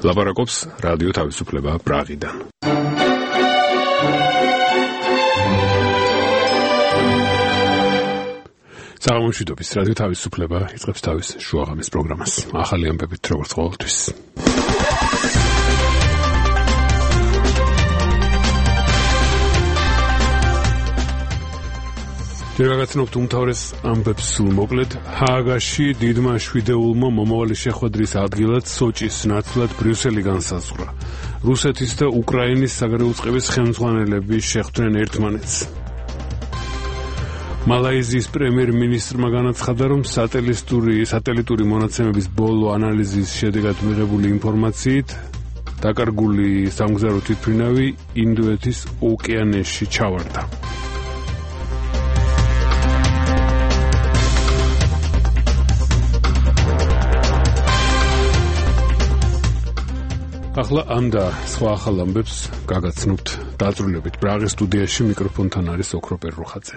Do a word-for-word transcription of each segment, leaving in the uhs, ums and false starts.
ლაპარაკობს რადიო თავისუფლება პრაღიდან. საღამოშვიდობის რადიო თავისუფლება იწყებს თავის შუაღამის პროგრამას. ახალი ამბებით როგორც ყოველთვის. ჯერაგაცნობთ უმთავრეს ამბებს სულ მოკლედ. ჰააგაში დიდმა შვიდეულმა მომავალი შეხვედრის ადგილად სოჭის ნაცვლად ბრიუსელი განსაზღვრა. რუსეთის და უკრაინის საგარეო წყების ხელმძღვანელები შეხვდნენ ერთმანეთს. მალაიზიის პრემიერ-მინისტრმა განაცხადა, რომ სატელიტური სატელიტური მონაცემების ბოლო ანალიზის შედეგად მიღებული ინფორმაციით დაკარგული სამგზავრო თვითმფრინავი ინდოეთის ოკეანეში ჩავარდა. ახლა ამ და სხვა ახალ ამბებს გაგაცნობთ დაწვრილებით. პრაღის სტუდიაში მიკროფონთან არის ოქროპერ რუხაძე.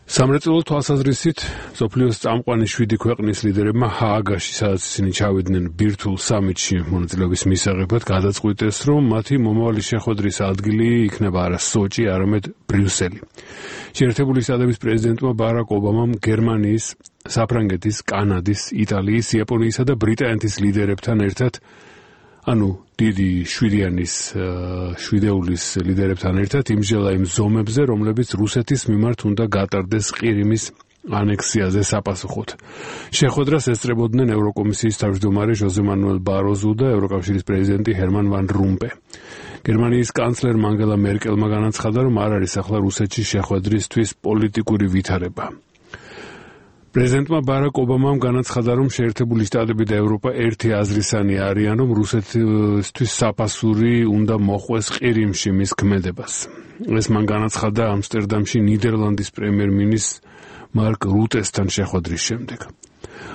სამრეწველო თვალსაზრისით მსოფლიოს წამყვანი შვიდი ქვეყნის ლიდერებმა ჰააგაში, სადაც ისინი ჩავიდნენ ბირთვულ სამიტში მონაწილეობის მისაღებად, გადაწყვიტეს, რომ მათი მომავალი შეხვედრის ადგილი იქნება არა სოჭი, არამედ ბრიუსელი. შეერთებული შტატების პრეზიდენტმა ბარაკ ობამამ გერმანიის, საფრანგეთის, კანადის, იტალიის, იაპონიისა და ბრიტანეთის ლიდერებთან ერთად ანუ დიდი შვიდიანის შვიდეულის ლიდერებთან ერთად იმსჯელა იმ ზომებზე, რომლებიც რუსეთის მიმართ უნდა გატარდეს ყირიმის ანექსიაზე საპასუხოდ. შეხვედრას ესწრებოდნენ ევროკომისიის თავმჯდომარე ჟოზე მანუელ ბაროზუ და ევროკავშირის პრეზიდენტი ჰერმან ვან რომპე. გერმანიის კანცლერმა ანგელა მერკელმა განაცხადა, რომ არ არის ახლა რუსეთში შეხვედრისთვის პოლიტიკური ვითარება. პრეზიდენტმა ბარაკ ობამამ განაცხადა, რომ შეერთებული შტატები და ევროპა ერთი აზრისანი არიან, რომ რუსეთისთვის საფასური უნდა მოხვეს ყირიმში მის ქმედებას. ეს მან განაცხადა ამსტერდამში ნიდერლანდის პრემიერ-მინისტრ მარკ რუტესთან შეხვედრის შემდეგ.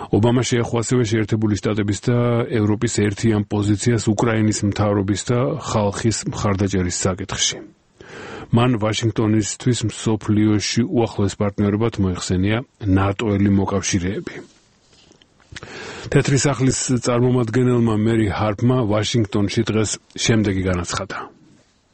ობამა შეეხო ასევე შეერთებული შტატების და ევროპის ერთიან პოზიციას უკრაინის მთავრობის და ხალხის მხარდაჭერის საკითხში. მან ვაშინგტონისთვის მსოფლიოში უახლოეს პარტნიორებად მოიხსენია ნატოელი მოკავშირეები. თეთრი სახლის წარმომადგენელმა მერი ჰარპმა ვაშინგტონში დღეს შემდეგი განაცხადა.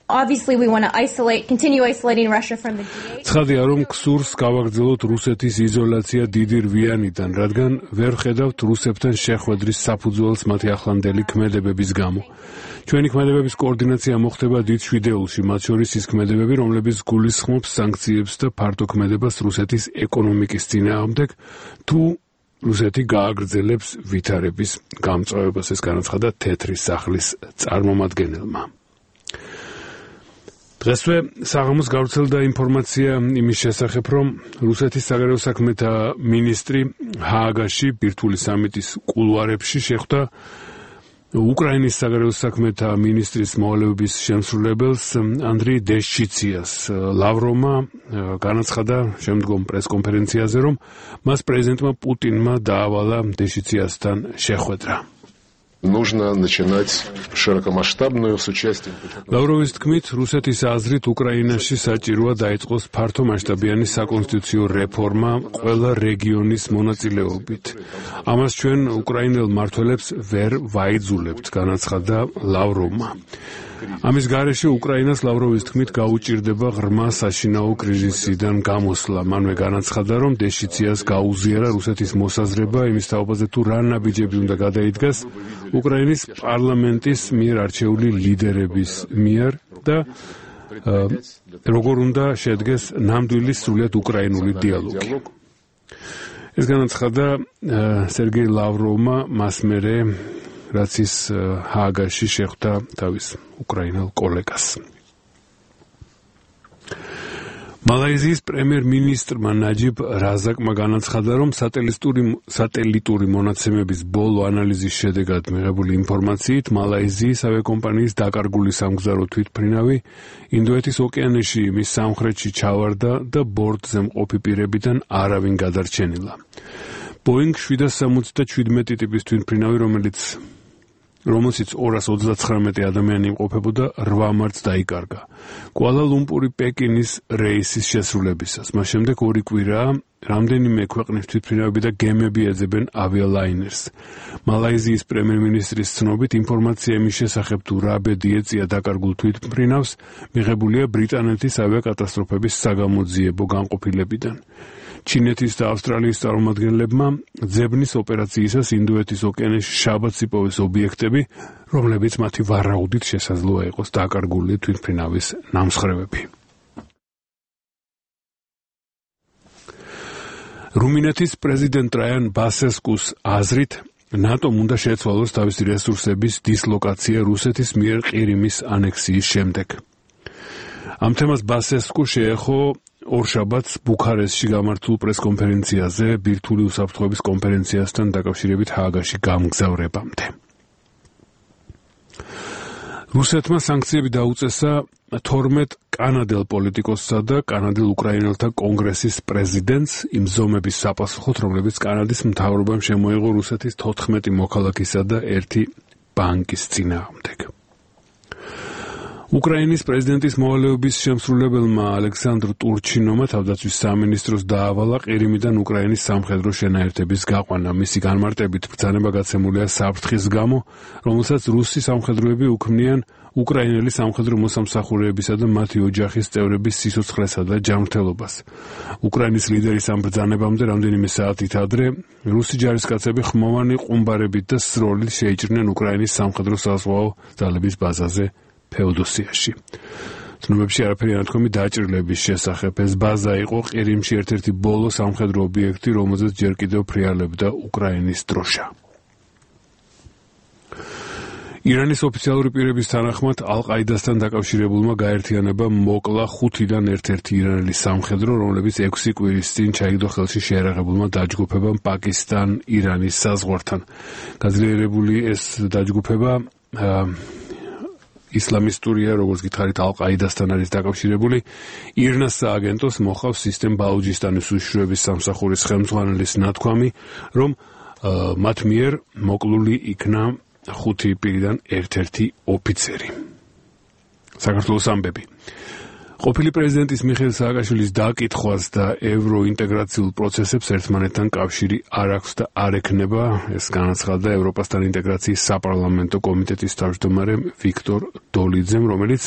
Obviously we want to isolate continue isolating Russia from the G eight. ცხადია, რომ ქსურს გავაგრძელოთ რუსეთის იზოლაცია დიდი რვიანიდან, რადგან ვერ ხედავთ რუსებთან შეხვედრის საფუძველს მათი ახლანდელი ქმედებების გამო. ჩვენი ქმედებების კოორდინაცია მოხდება დიდ შვიდეულში, მათ შორის ის ქმედებები, რომლებიც გულისხმობს სანქციებს და ფართო ქმედებას რუსეთის ეკონომიკის წინააღმდეგ, თუ რუსეთი გააგრძელებს ვითარების გამწვავებას, ეს განაცხადა თეთრი სახლის წარმომადგენელმა. დღესვე საღამოს გავრცელდა ინფორმაცია იმის შესახებ, რომ რუსეთის საგარეო საქმეთა მინისტრი ჰააგაში ბირთვული სამიტის კულუარებში შეხვდა უკრაინის საგარეო საქმეთა მინისტრის მოვალეობის შემსრულებელს ანდრი დეშჩიციას. ლავროვმა განაცხადა შემდგომ პრესკონფერენციაზე, რომ მას პრეზიდენტმა პუტინმა დაავალა დეშჩიციასთან შეხვედრა. Нужно начинать широкомасштабную с участием. ლავროვის თქმით, რუსეთის აზრით უკრაინაში საჭიროა დაიწყოს ფართომასშტაბიანი საკონსტიტუციო რეფორმა ყველა რეგიონის მონაწილეობით. ამას ჩვენ უკრაინელ მმართველებს ვერ ვაიძულებთ, განაცხადა ლავროვმა. ამის გარეშე უკრაინას ლავროვის თქმით გაუჭირდება ღრმა საშინაო კრიზისიდან გამოსვლა. მანვე განაცხადა, რომ დეშიციას გაუზიარა რუსეთის მოსაზრება იმის თაობაზე, თუ რა ნაბიჯები უნდა გადაიდგას უკრაინის პარლამენტის მიერ არჩეული ლიდერების მიერ და როგორ უნდა შედგეს ნამდვილი სრულიად უკრაინული დიალოგი. ეს განაცხადა სერგეი ლავროვმა მას მერე, რაც ის ჰააგაში შეხვდა თავის უკრაინელ კოლეგას. მალაიზიის პრემიერ-მინისტრმა ნაჯიბ რაზაკმა განაცხადა, რომ სატელიტური სატელიტური მონაცემების ბოლო ანალიზის შედეგად მიღებული ინფორმაციით მალაიზიის ავიაკომპანიის დაკარგული სამგზავრო თვითმფრინავი ინდოეთის ოკეანეში მის სამხრეთში ჩავარდა და ბორტზე მყოფი პირებიდან არავინ გადარჩენილა. ბოინგ შვიდსა სამოცდაშვიდ ტიპის თვითმფრინავი, რომელიც რომელშიც ორას ოცდაცხრამეტი ადამიანი იმყოფებოდა, რვა მარტს დაიკარგა. კუალა-ლუმპური პეკინის რეისის შესრულებისას. მას შემდეგ ორი კვირაა, რამდენიმე ქვეყნის თვითმფრინავები და გემები ეძებენ ავიალაინერს. მალაიზიის პრემიერ-მინისტრის ცნობით, ინფორმაცია იმის შესახებ, თუ რა ბედი ეწია დაკარგულ თვითმფრინავს, მიღებულია ბრიტანეთის ავიაკატასტროფების საგამოძიებო განყოფილებიდან. ჩინეთის და ავსტრალიის წარმომადგენლებმა ძებნის ოპერაციისას ინდოეთის ოკეანეში შაბათს იპოვეს ობიექტები, რომლებიც მათი ვარაუდით შესაძლოა იყოს დაკარგული თვითმფრინავის ნამსხვრევები. რუმინეთის პრეზიდენტ ტრაიან ბასესკუს აზრით, ნატომ უნდა შეცვალოს თავისი რესურსების დისლოკაცია რუსეთის მიერ ყირიმის ანექსიის შემდეგ. ამ თემას ბასესკუ შეეხო ორშაბათს ბუქარესტში გამართულ პრესკონფერენციაზე ბირთვული უსაფრთხოების კონფერენციასთან დაკავშირებით ჰააგაში გამგზავრებამდე. რუსეთმა სანქციები დაუწესა თორმეტ კანადელ პოლიტიკოსსა და კანადელ უკრაინელთა კონგრესის პრეზიდენტს იმ ზომების საპასუხოდ, რომლებიც კანადის მთავრობამ შემოიღო რუსეთის თოთხმეტი მოქალაქისა და ერთი ბანკის წინააღმდეგ. უკრაინის პრეზიდენტის მოვალეობის შემსრულებელმა ალექსანდრ ტურჩინოვმა თავდაცვის სამინისტროს დაავალა ყირიმიდან უკრაინის სამხედრო შენაერთების გაყვანა. მისი განმარტებით ბრძანება გაცემულია საფრთხის გამო, რომელსაც რუსი სამხედროები უქმნიან უკრაინელი სამხედრო მოსამსახურეებისა და მათი ოჯახის წევრების სიცოცხლესა და ჯანმრთელობას. უკრაინის ლიდერის ამ ბრძანებამდე რამდენიმე საათით ადრე რუსი ჯარისკაცები ხმოვანი ყუმბარებით და სროლით შეიჭრნენ უკრაინის სამხედრო საზღვაო ძალების ბაზაზე ფეოდოსიაში. ცნობებში არაფერი არ თქვი დაჭრილების შესახებ. ეს ბაზა იყო ყირიმში ერთ-ერთი ბოლო სამხედრო ობიექტი, რომელზეც ჯერ კიდევ ფრიალებდა უკრაინის დროშა. ირანის ოფიციალური პირების თანახმად ალ-ყაიდასთან დაკავშირებულმა გაერთიანებამ მოკლა ხუთიდან ერთ-ერთი ირანელი სამხედრო, რომლებიც ექვსი კვირის წინ ჩაიგდო ხელში შეერაღებულმა დაჯგუფებამ პაკისტან-ირანის საზღვართან. გაძლიერებული ეს დაჯგუფება ისლამისტურია, როგორც გითხარით, ალ-ყაიდასთან არის დაკავშირებული. ირნას სააგენტოს მოხავს სისტემ ბალუჯისტანის უშიშროების სამსახურის ხელმძღვანელის ნათქვამი, რომ მათ მიერ მოკლული იქნა ხუთი პირიდან ერთ-ერთი ოფიცერი. საქართველოს ამბები. ყოფილი პრეზიდენტის მიხეილ სააკაშვილის დაკითხვას და ევროინტეგრაციულ პროცესებს ერთმანეთთან კავშირი არ აქვს და არ ექნება, ეს განაცხადა ევროპასთან ინტეგრაციის საპარლამენტო კომიტეტის თავმჯდომარე ვიქტორ დოლიძემ, რომელიც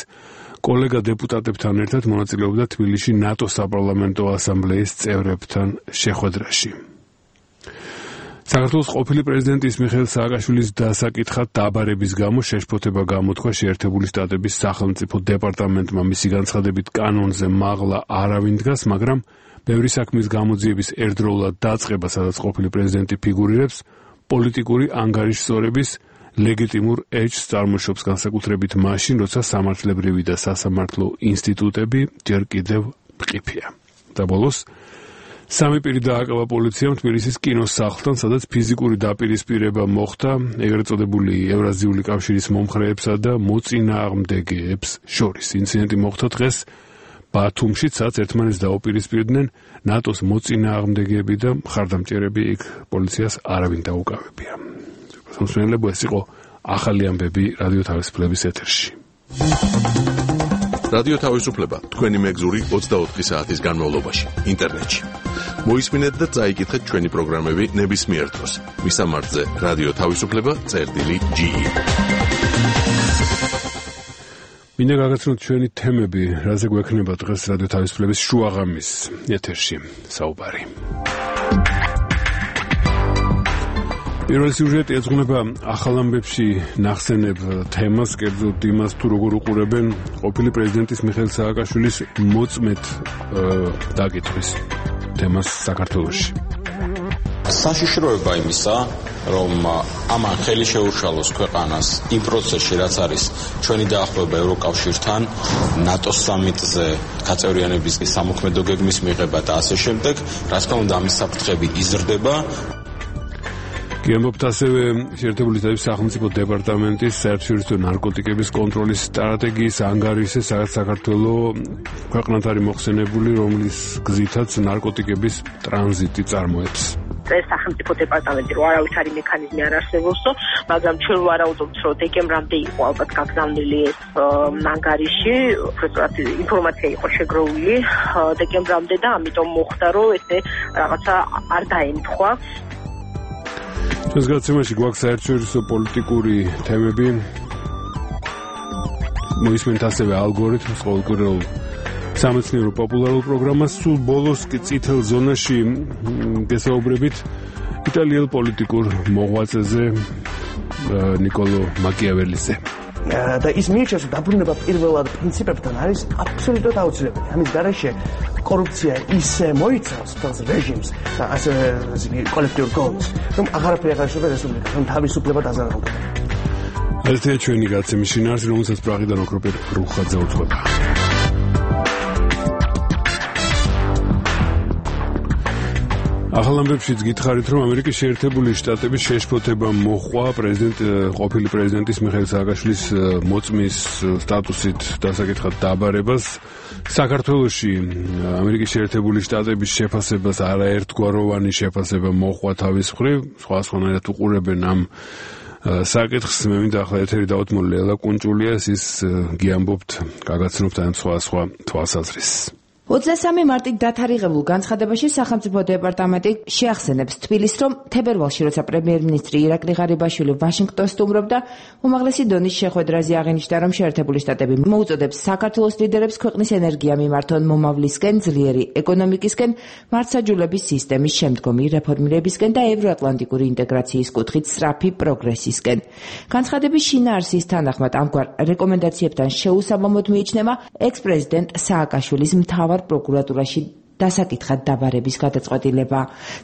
კოლეგა დეპუტატებთან ერთად მონაწილეობდა თბილისში ნატო საპარლამენტო ასამბლეის წევრებთან შეხვედრაში. საქართველოს ყოფილი პრეზიდენტის მიხეილ სააკაშვილის დასაკითხად დაბარების გამო შეშფოთება გამოთქვა შეერთებული შტატების სახელმწიფო დეპარტამენტმა. მისი განცხადებით კანონზე მაღლა არავინ დგას, მაგრამ ბევრი საქმის გამოძიების ერთდროულად დაწყება, სადაც ყოფილი პრეზიდენტი ფიგურირებს, პოლიტიკური ანგარიშსწორების ლეგიტიმურ ეჭს წარმოშობს, განსაკუთრებით მაშინ, როცა სამართლებრივი და სასამართლო ინსტიტუტები ჯერ კიდევ მყიფეა. და ბოლოს სამი პირი დააკავა პოლიციამ თბილისის კინოს სახლთან, სადაც ფიზიკური დაპირისპირება მოხდა ეგრეთ წოდებული ევრაზიული კავშირის მომხრეებსა და მოწინააღმდეგეებს შორის. ინციდენტი მოხდა დღეს ბათუმში, სადაც ერთმანეთს დაუპირისპირდნენ ნატოს მოწინააღმდეგეები და მხარდამჭერები, იქ პოლიციას არავინ დაუკავებია. მოსმენელებო, ეს იყო ახალი ამბები რადიო თავისუფლების ეთერში. რადიო თავისუფლება თქვენი მეგზური ოცდაოთხი საათის განმავლობაში ინტერნეტში. მოისმინეთ და წაიკითხეთ ჩვენი პროგრამები ნებისმიერ დროს. მისამართზე რადიო თავისუფლება წერტილი ჯი ი. მინდა გაგაცნოთ ჩვენი თემები, რაზე გვექნება დღეს რადიო თავისუფლების შუაღამის ეთერში საუბარი. პირველი სიუჟეტი ეძღვნება ახალ ამბებში ნახსენებ თემას, კერძოდ იმას, თუ როგორ უყურებენ ყოფილი პრეზიდენტის მიხეილ სააკაშვილის მოწმეთ დაკითხვის თემას საქართველოში. საშიშროება იმისა, რომ ამან ხელი შეუშალოს ქვეყანას იმ პროცესში, რაც არის ჩვენი დაახლოება ევროკავშირთან, ნატოს სამიტზე გაწევრიანების სამოქმედო გეგმის მიღება და ასე შემდეგ, რა თქმა უნდა, ამის საფრთხები იზრდება. გემობთ ასევე შეერთებული შტატების სახელმწიფო დეპარტამენტის საერთაშორისო ნარკოტიკების კონტროლის სტრატეგიის ანგარიშზე, სადაც საქართველოს ქვეყნად არის მოხსენებული, რომლის გზითაც ნარკოტიკების ტრანზიტი წარმოებს. წეს სახელმწიფო დეპარტამენტი რომ არავის არის მექანიზმი არ არსებობსო, მაგრამ ჩვენ ვარაუდობთ, რომ დეკემბრამდე იყო ალბათ გაგზავნილი ეს ანგარიში, უბრალოდ ინფორმაცია იყო შეგროვილი დეკემბრამდე და ამიტომ მოხდა, რომ ესე რაღაცა არ დაემთხვა. ჩვენს გადაცემაში გვაქვს საერთაშორისო პოლიტიკური თემები. მოისმენთ ასევე ალგორითმს ყოველკვირეულ სამეცნიერო პოპულარულ პროგრამას. სულ ბოლოს კი წითელ ზონაში გესაუბრებით იტალიელ პოლიტიკურ მოღვაწეზე ნიკოლო მაკიაველიზე. და ის მიიჩნევს, რომ დაბრუნება პირველად პრინციპებთან არის აბსოლუტურად აუცილებელი. ამის გარეშე კორუფცია ისე მოიცავს თავს რეჟიმს და ასე კოლექტიურ გოლს, რომ აღარაფერი აღარ შეიძლება რესპუბლიკას, რომ თავისუფლება დაზარალდება. ერთია ჩვენი გადაცემის შინაარსი, რომელსაც პრაღიდან ოქროპერ რუხაძე უძღვება. ახალ ამბებშიც გითხარით, რომ ამერიკის შეერთებული შტატების შეშფოთება მოჰყვა პრეზიდენტ ყოფილი პრეზიდენტის მიხეილ სააკაშვილის მოწმის სტატუსით დასაკითხად დაბარებას. საქართველოში ამერიკის შეერთებული შტატების შეფასებას არაერთგვაროვანი შეფასება მოჰყვა თავის მხრივ, სხვადასხვანაირად უყურებენ ამ საკითხს. მე მინდა ახლა ეთერი დავუთმო ლელა კუნჭულიას, ის გიამბობთ, გაგაცნობთ ამ სხვა სხვა თვალსაზრისს. ოცდამესამე მარტით დათარიღებულ განცხადებაში სახელმწიფო დეპარტამენტი შეახსენებს თბილისს, რომ თებერვალში, როცა პრემიერ-მინისტრი ირაკლი ღარიბაშვილი ვაშინგტონს სტუმრობდა, უმაღლესი დონის შეხვედრაზე აღინიშნა, რომ შეერთებული შტატები მოუწოდებს საქართველოს ლიდერებს ქვეყნის ენერგია მიმართონ მომავლისკენ, ძლიერი ეკონომიკისკენ, მართლმსაჯულების სისტემის შემდგომი რეფორმირებისკენ და ევროატლანტიკური ინტეგრაციის კუთხით სწრაფი პროგრესისკენ. განცხადების შინაარსის თანახმად ამგვარ რეკომენდაციებთან შეუსაბამოდ მიიჩნევა ექს-პრეზიდენტ სააკაშვილის მთავარ პროკურატურაში დასაკითხად დაბარების გადაწყვეტილება.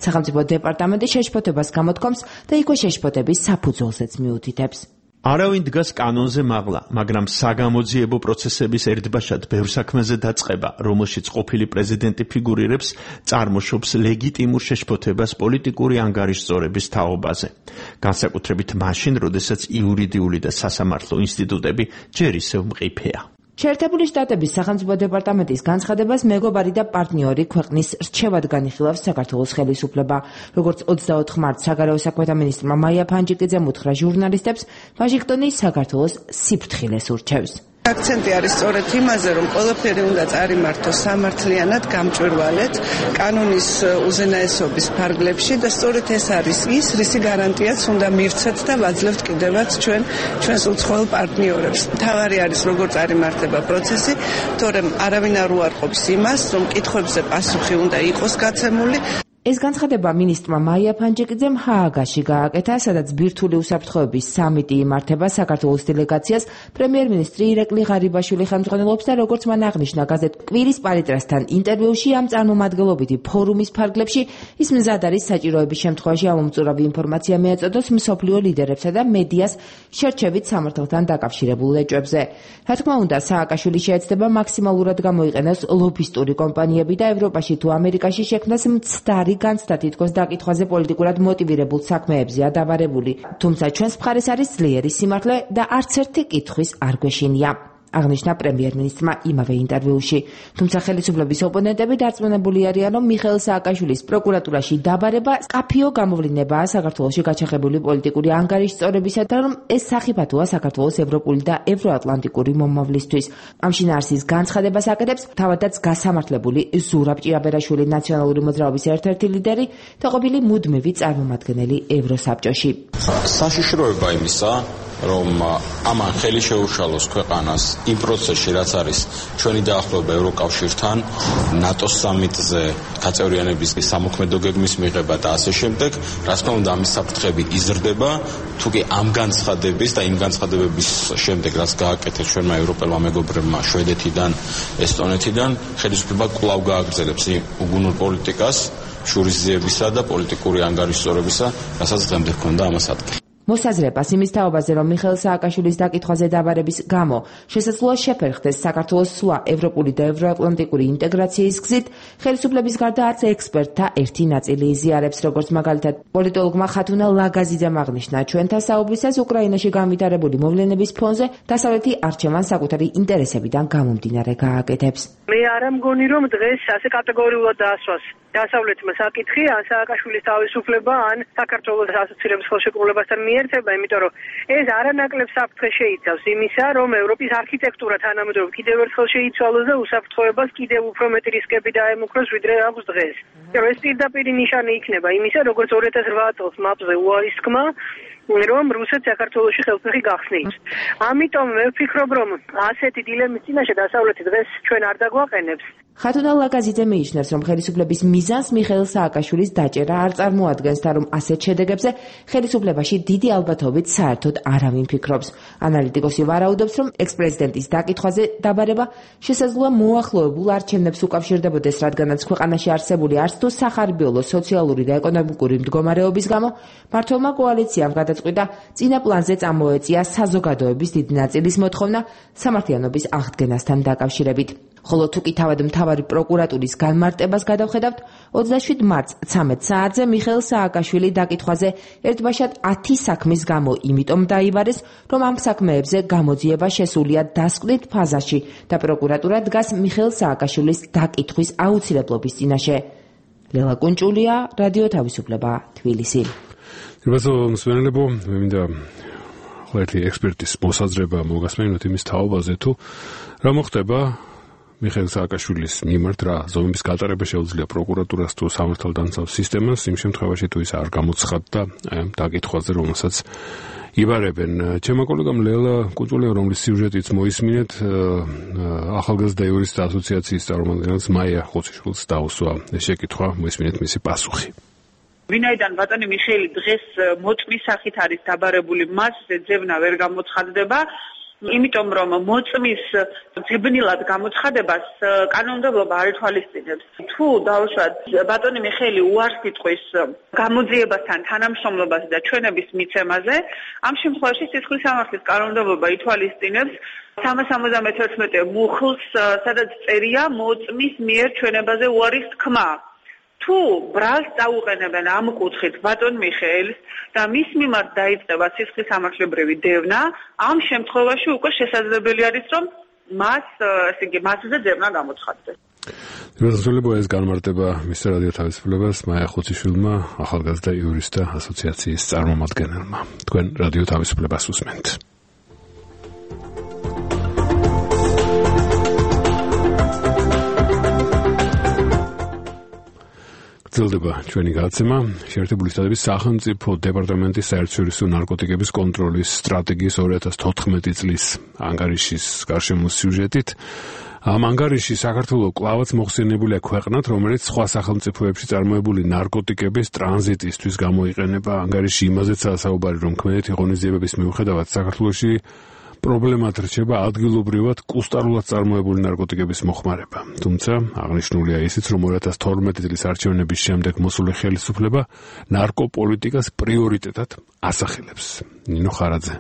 სახელმწიფო დეპარტამენტი შეშფოთებას გამოთქვამს და იქვე შეშფოთების საფუძველზეც მიუთითებს. არავინ დგას კანონზე მაღლა, მაგრამ საგამოძიებო პროცესების ერთბაშად ბევრ საქმეზე დაწყება, რომელშიც ყოფილი პრეზიდენტი ფიგურირებს, წარმოშობს ლეგიტიმურ შეშფოთებას პოლიტიკური ანგარიშწორების თაობაზე. განსაკუთრებით მაშინ, როდესაც იურიდიული და სასამართლო ინსტიტუტები ჯერ ისევ მყიფეა. შეერთებული შტატების სახელმწიფო დეპარტამენტის განცხადებას მეგობარი და პარტნიორი ქვეყნის რჩევად განიხილავს საქართველოს ხელისუფლება. როგორც ოცდაოთხ მარტს საგარეო საქმეთა მინისტრმა მაია ფანჯიკიძემ უთხრა ჟურნალისტებს, ვაშინგტონი საქართველოს სიფრთხილეს ურჩევს. აქცენტი არის სწორედ იმაზე, რომ ყველაფერი უნდა წარიმართოს სამართლიანად, გამჭვირვალედ, კანონის უზენაესობის ფარგლებში და სწორედ ეს არის ის, რისი გარანტიაც უნდა მივცეთ და ვაძლევთ კიდევაც ჩვენ ჩვენს უცხოელ პარტნიორებს. მთავარი არის, როგორ წარიმართება პროცესი, თორემ არავინ არ უარყოფს იმას, რომ კითხვებზე პასუხი უნდა იყოს გაცემული. ეს განცხადება მინისტრმა მაია ფანჯიკიძემ ჰააგაში გააკეთა, სადაც ბირთვული უსაფრთხოების სამიტი იმართება. საქართველოს დელეგაციას პრემიერ-მინისტრი ირაკლი ღარიბაშვილი ხელმძღვანელობს და როგორც მან აღნიშნა გაზეთ კვირის პალიტრასთან ინტერვიუში, ამ წარმომადგენლობითი ფორუმის ფარგლებში ის მზად არის საჭიროების შემთხვევაში ამომწურავი ინფორმაცია მიეწოდოს მსოფლიო ლიდერებსა და მედიას შერჩევით სამართალთან დაკავშირებულ ეჭვებზე. რა თქმა უნდა, სააკაშვილი შეეცდება მაქსიმალურად გამოიყენოს ლობისტური კომპანიები და ევროპაში თუ ამერიკაში შექმნას მცდარი განცდა თითქოს დაკითხვაზე პოლიტიკურად მოტივირებულ საქმეებზეა დაბარებული. თუმცა ჩვენს მხარეს არის ძლიერი სიმართლე და არც ერთი კითხვის არ გვეშინია. აღნიშნა პრემიერ-მინისტრმა იმავე ინტერვიუში. თუმცა ხელისუფლების ოპონენტები დარწმუნებული არიან, რომ მიხეილ სააკაშვილის პროკურატურაში დაბარება სკაფიო გამოვლინებაა საქართველოში გაჩაღებული პოლიტიკური ანგარიშწორებისა და რომ ეს სახიფათოა საქართველოს ევროპული და ევროატლანტიკური მომავლისთვის. ამ შინაარსის განცხადებას აკეთებს თავადაც გასამართლებული ზურაბ ჭიაბერაშვილი, ნაციონალური მოძრაობის ერთ-ერთი ლიდერი და ყოფილი მუდმივი წარმომადგენელი ევროსაბჭოში. საშიშროება იმისა, რომ ამან ხელი შეუშალოს ქვეყანას იმ პროცესში, რაც არის ჩვენი დაახლოება ევროკავშირთან, ნატოს სამიტზე გაწევრიანების სამოქმედო გეგმის მიღება და ასე შემდეგ, რა თქმა უნდა, ამის საფრთხები იზრდება, თუკი ამ განცხადების და იმ განცხადებების შემდეგ, რაც გააკეთეს ჩვენმა ევროპელმა მეგობრებმა შვედეთიდან, ესტონეთიდან, ხელისუფლება კვლავ გააგრძელებს იმ უგუნურ პოლიტიკას, შურისძიებისა და პოლიტიკური ანგარიშწორებისა, რასაც დღემდე ჰქონდა ამას ადგილი. მოსაზრებას იმის თაობაზე, რომ მიხეილ სააკაშვილის დაკითხვაზე დაბარების გამო შესაძლოა შეფერხდეს საქართველოს სვლა ევროპული და ევროატლანტიკური ინტეგრაციის გზით, ხელისუფლების გარდა არც ექსპერტთა ერთი ნაწილი იზიარებს, როგორც მაგალითად პოლიტოლოგმა ხათუნა ლაგაზიძემ აღნიშნა, ჩვენთან საუბრისას უკრაინაში განვითარებული მოვლენების ფონზე დასავლეთი არჩევანს საკუთარი ინტერესებიდან გამომდინარე გააკეთებს. მე არ მგონი, რომ დღეს ასე კატეგორიულად დაასვას დასავლეთმა საკითხი, ან სააკაშვილის თავისუფლება, ან საქართველოს ასოცირების ხელშეკრულებასთან მიერთება, იმიტომ რომ ეს არანაკლებ საფრთხეს შეიცავს იმისა, რომ ევროპის არქიტექტურა თანამედროვე კიდევ ერთხელ შეიცვალოს და უსაფრთხოებას კიდევ უფრო მეტი რისკები დაემუქროს, ვიდრე აქვს დღეს. რომ ეს პირდაპირი ნიშანი იქნება იმისა, როგორც ორი ათას რვა წელს მაპზე უარისქმა, რომ რუსეთს საქართველოში ხელფეხი გახსნით. ამიტომ მე ვფიქრობ, რომ ასეთი დილემის წინაშე დასავლეთი დღეს ჩვენ არ დაგვაყენებს. ხათუნა ლაკაზიძე მიიჩნევს, რომ ხელისუფლების მიზანს მიხეილ სააკაშვილის დაჭერა არ წარმოადგენს და რომ ასეთ შედეგებზე ხელისუფლებაში დიდი ალბათობით საერთოდ არავინ ფიქრობს. ანალიტიკოსი ვარაუდობს, რომ ექს-პრეზიდენტის დაკითხვაზე დაბარება შესაძლოა მოახლოებულ არჩევნებს უკავშირდებოდეს, რადგანაც ქვეყანაში არსებული არც თუ სახარბიელო სოციალური და ეკონომიკური მდგომარეობის გამო მმართველმა კოალიციამ გადაწყვიტა წინა პლანზე წამოეწია საზოგადოების დიდი ნაწილის მოთხოვნა სამართლიანობის აღდგენასთან დაკავშირებით. ხოლო თუ კი თავად მთავარი პროკურატურის განმარტებას გადავხედავთ, ოცდაშვიდ მარტს ცამეტ საათზე მიხეილ სააკაშვილი დაკითხვაზე ერთბაშად ათი საქმის გამო იმიტომ დაიბარეს, რომ ამ საქმეებზე გამოძიება შესულია დასკვნით ფაზაში და პროკურატურა დგას მიხეილ სააკაშვილის დაკითხვის აუცილებლობის წინაშე. ლელა კუნჭულია, რადიო თავისუფლება, თბილისი. რიბასო მსმენელებო, მე მინდა ხოლმე ექსპერტის მოსაზრება მოგასმენოთ იმის თაობაზე, თუ რა მოხდება მიხეილ სააკაშვილის მიმართ, რა ზომების გატარება შეუძლია პროკურატურას თუ სამართალდამცავ სისტემას იმ შემთხვევაში, თუ ის არ გამოცხადდა აი ამ დაკითხვაზე, რომელსაც იბარებენ. ჩემო კოლეგამ ლელა კუჭულია, რომლის სიუჟეტიც მოისმინეთ, ახალგაზრდა იურისტთა ასოციაციის წარმომადგენელს მაია ხოციშვილს დაუსვა შეკითხვა, მოისმინეთ მისი პასუხი. ვინაიდან ბატონი მიხეილი დღეს მოწმის სახით არის დაბარებული, მას ძებნა ვერ გამოცხადდება, იმიტომ რომ მოწმის ძებნილად გამოცხადებას კანონმდებლობა არ ითვალისწინებს. თუ დავუშვათ ბატონი მიხეილი უარს იტყვის გამოძიებასთან თანამშრომლობას და ჩვენების მიცემაზე, ამ შემთხვევაში სისხლის სამართლის კანონმდებლობა ითვალისწინებს სამას ორმოცდამეთერთმეტე მუხლს, სადაც წერია მოწმის მიერ ჩვენებაზე უარის თქმა. თუ ბრალს დაუყენებენ ამ კუთხით ბატონ მიხეილს და მის მიმართ დაიწყება სისხლის სამართლებრივი დევნა, ამ შემთხვევაში უკვე შესაძლებელი არის, რომ მას, ესე იგი, მასზე ძებნა გამოცხადდეს. რასრულებო ეს განმარტება მისცეს რადიო თავისუფლებას მაია ხოციშვილმა, ახალგაზრდა იურისტთა ასოციაციის წარმომადგენელმა. თქვენ რადიო თავისუფლებას უსმენთ. გრძელდება ჩვენი გადაცემა. შეერთებული შტატების სახელმწიფო დეპარტამენტის საერთაშორისო ნარკოტიკების კონტროლის სტრატეგიის ორი ათას თოთხმეტი წლის ანგარიშის გარშემო სიუჟეტით. ამ ანგარიში საქართველოს კლავაც მოხსენებულია ქვეყნად, რომელიც სხვა სახელმწიფოებში წარმოებული ნარკოტიკების ტრანზიტისთვის გამოიყენება. ანგარიში იმაზეცაა საუბარი, რომ ქმედეთი ღონისძიებების მიუხედავად საქართველოში პრობლემად რჩება ადგილობრივად კუსტარულად წარმოებული ნარკოტიკების მოხმარება. თუმცა აღნიშნულია ისიც, რომ ორი ათას თორმეტი წლის არჩევნების შემდეგ მოსული ხელისუფლება ნარკოპოლიტიკას პრიორიტეტად ასახელებს. ნინო ხარაძე.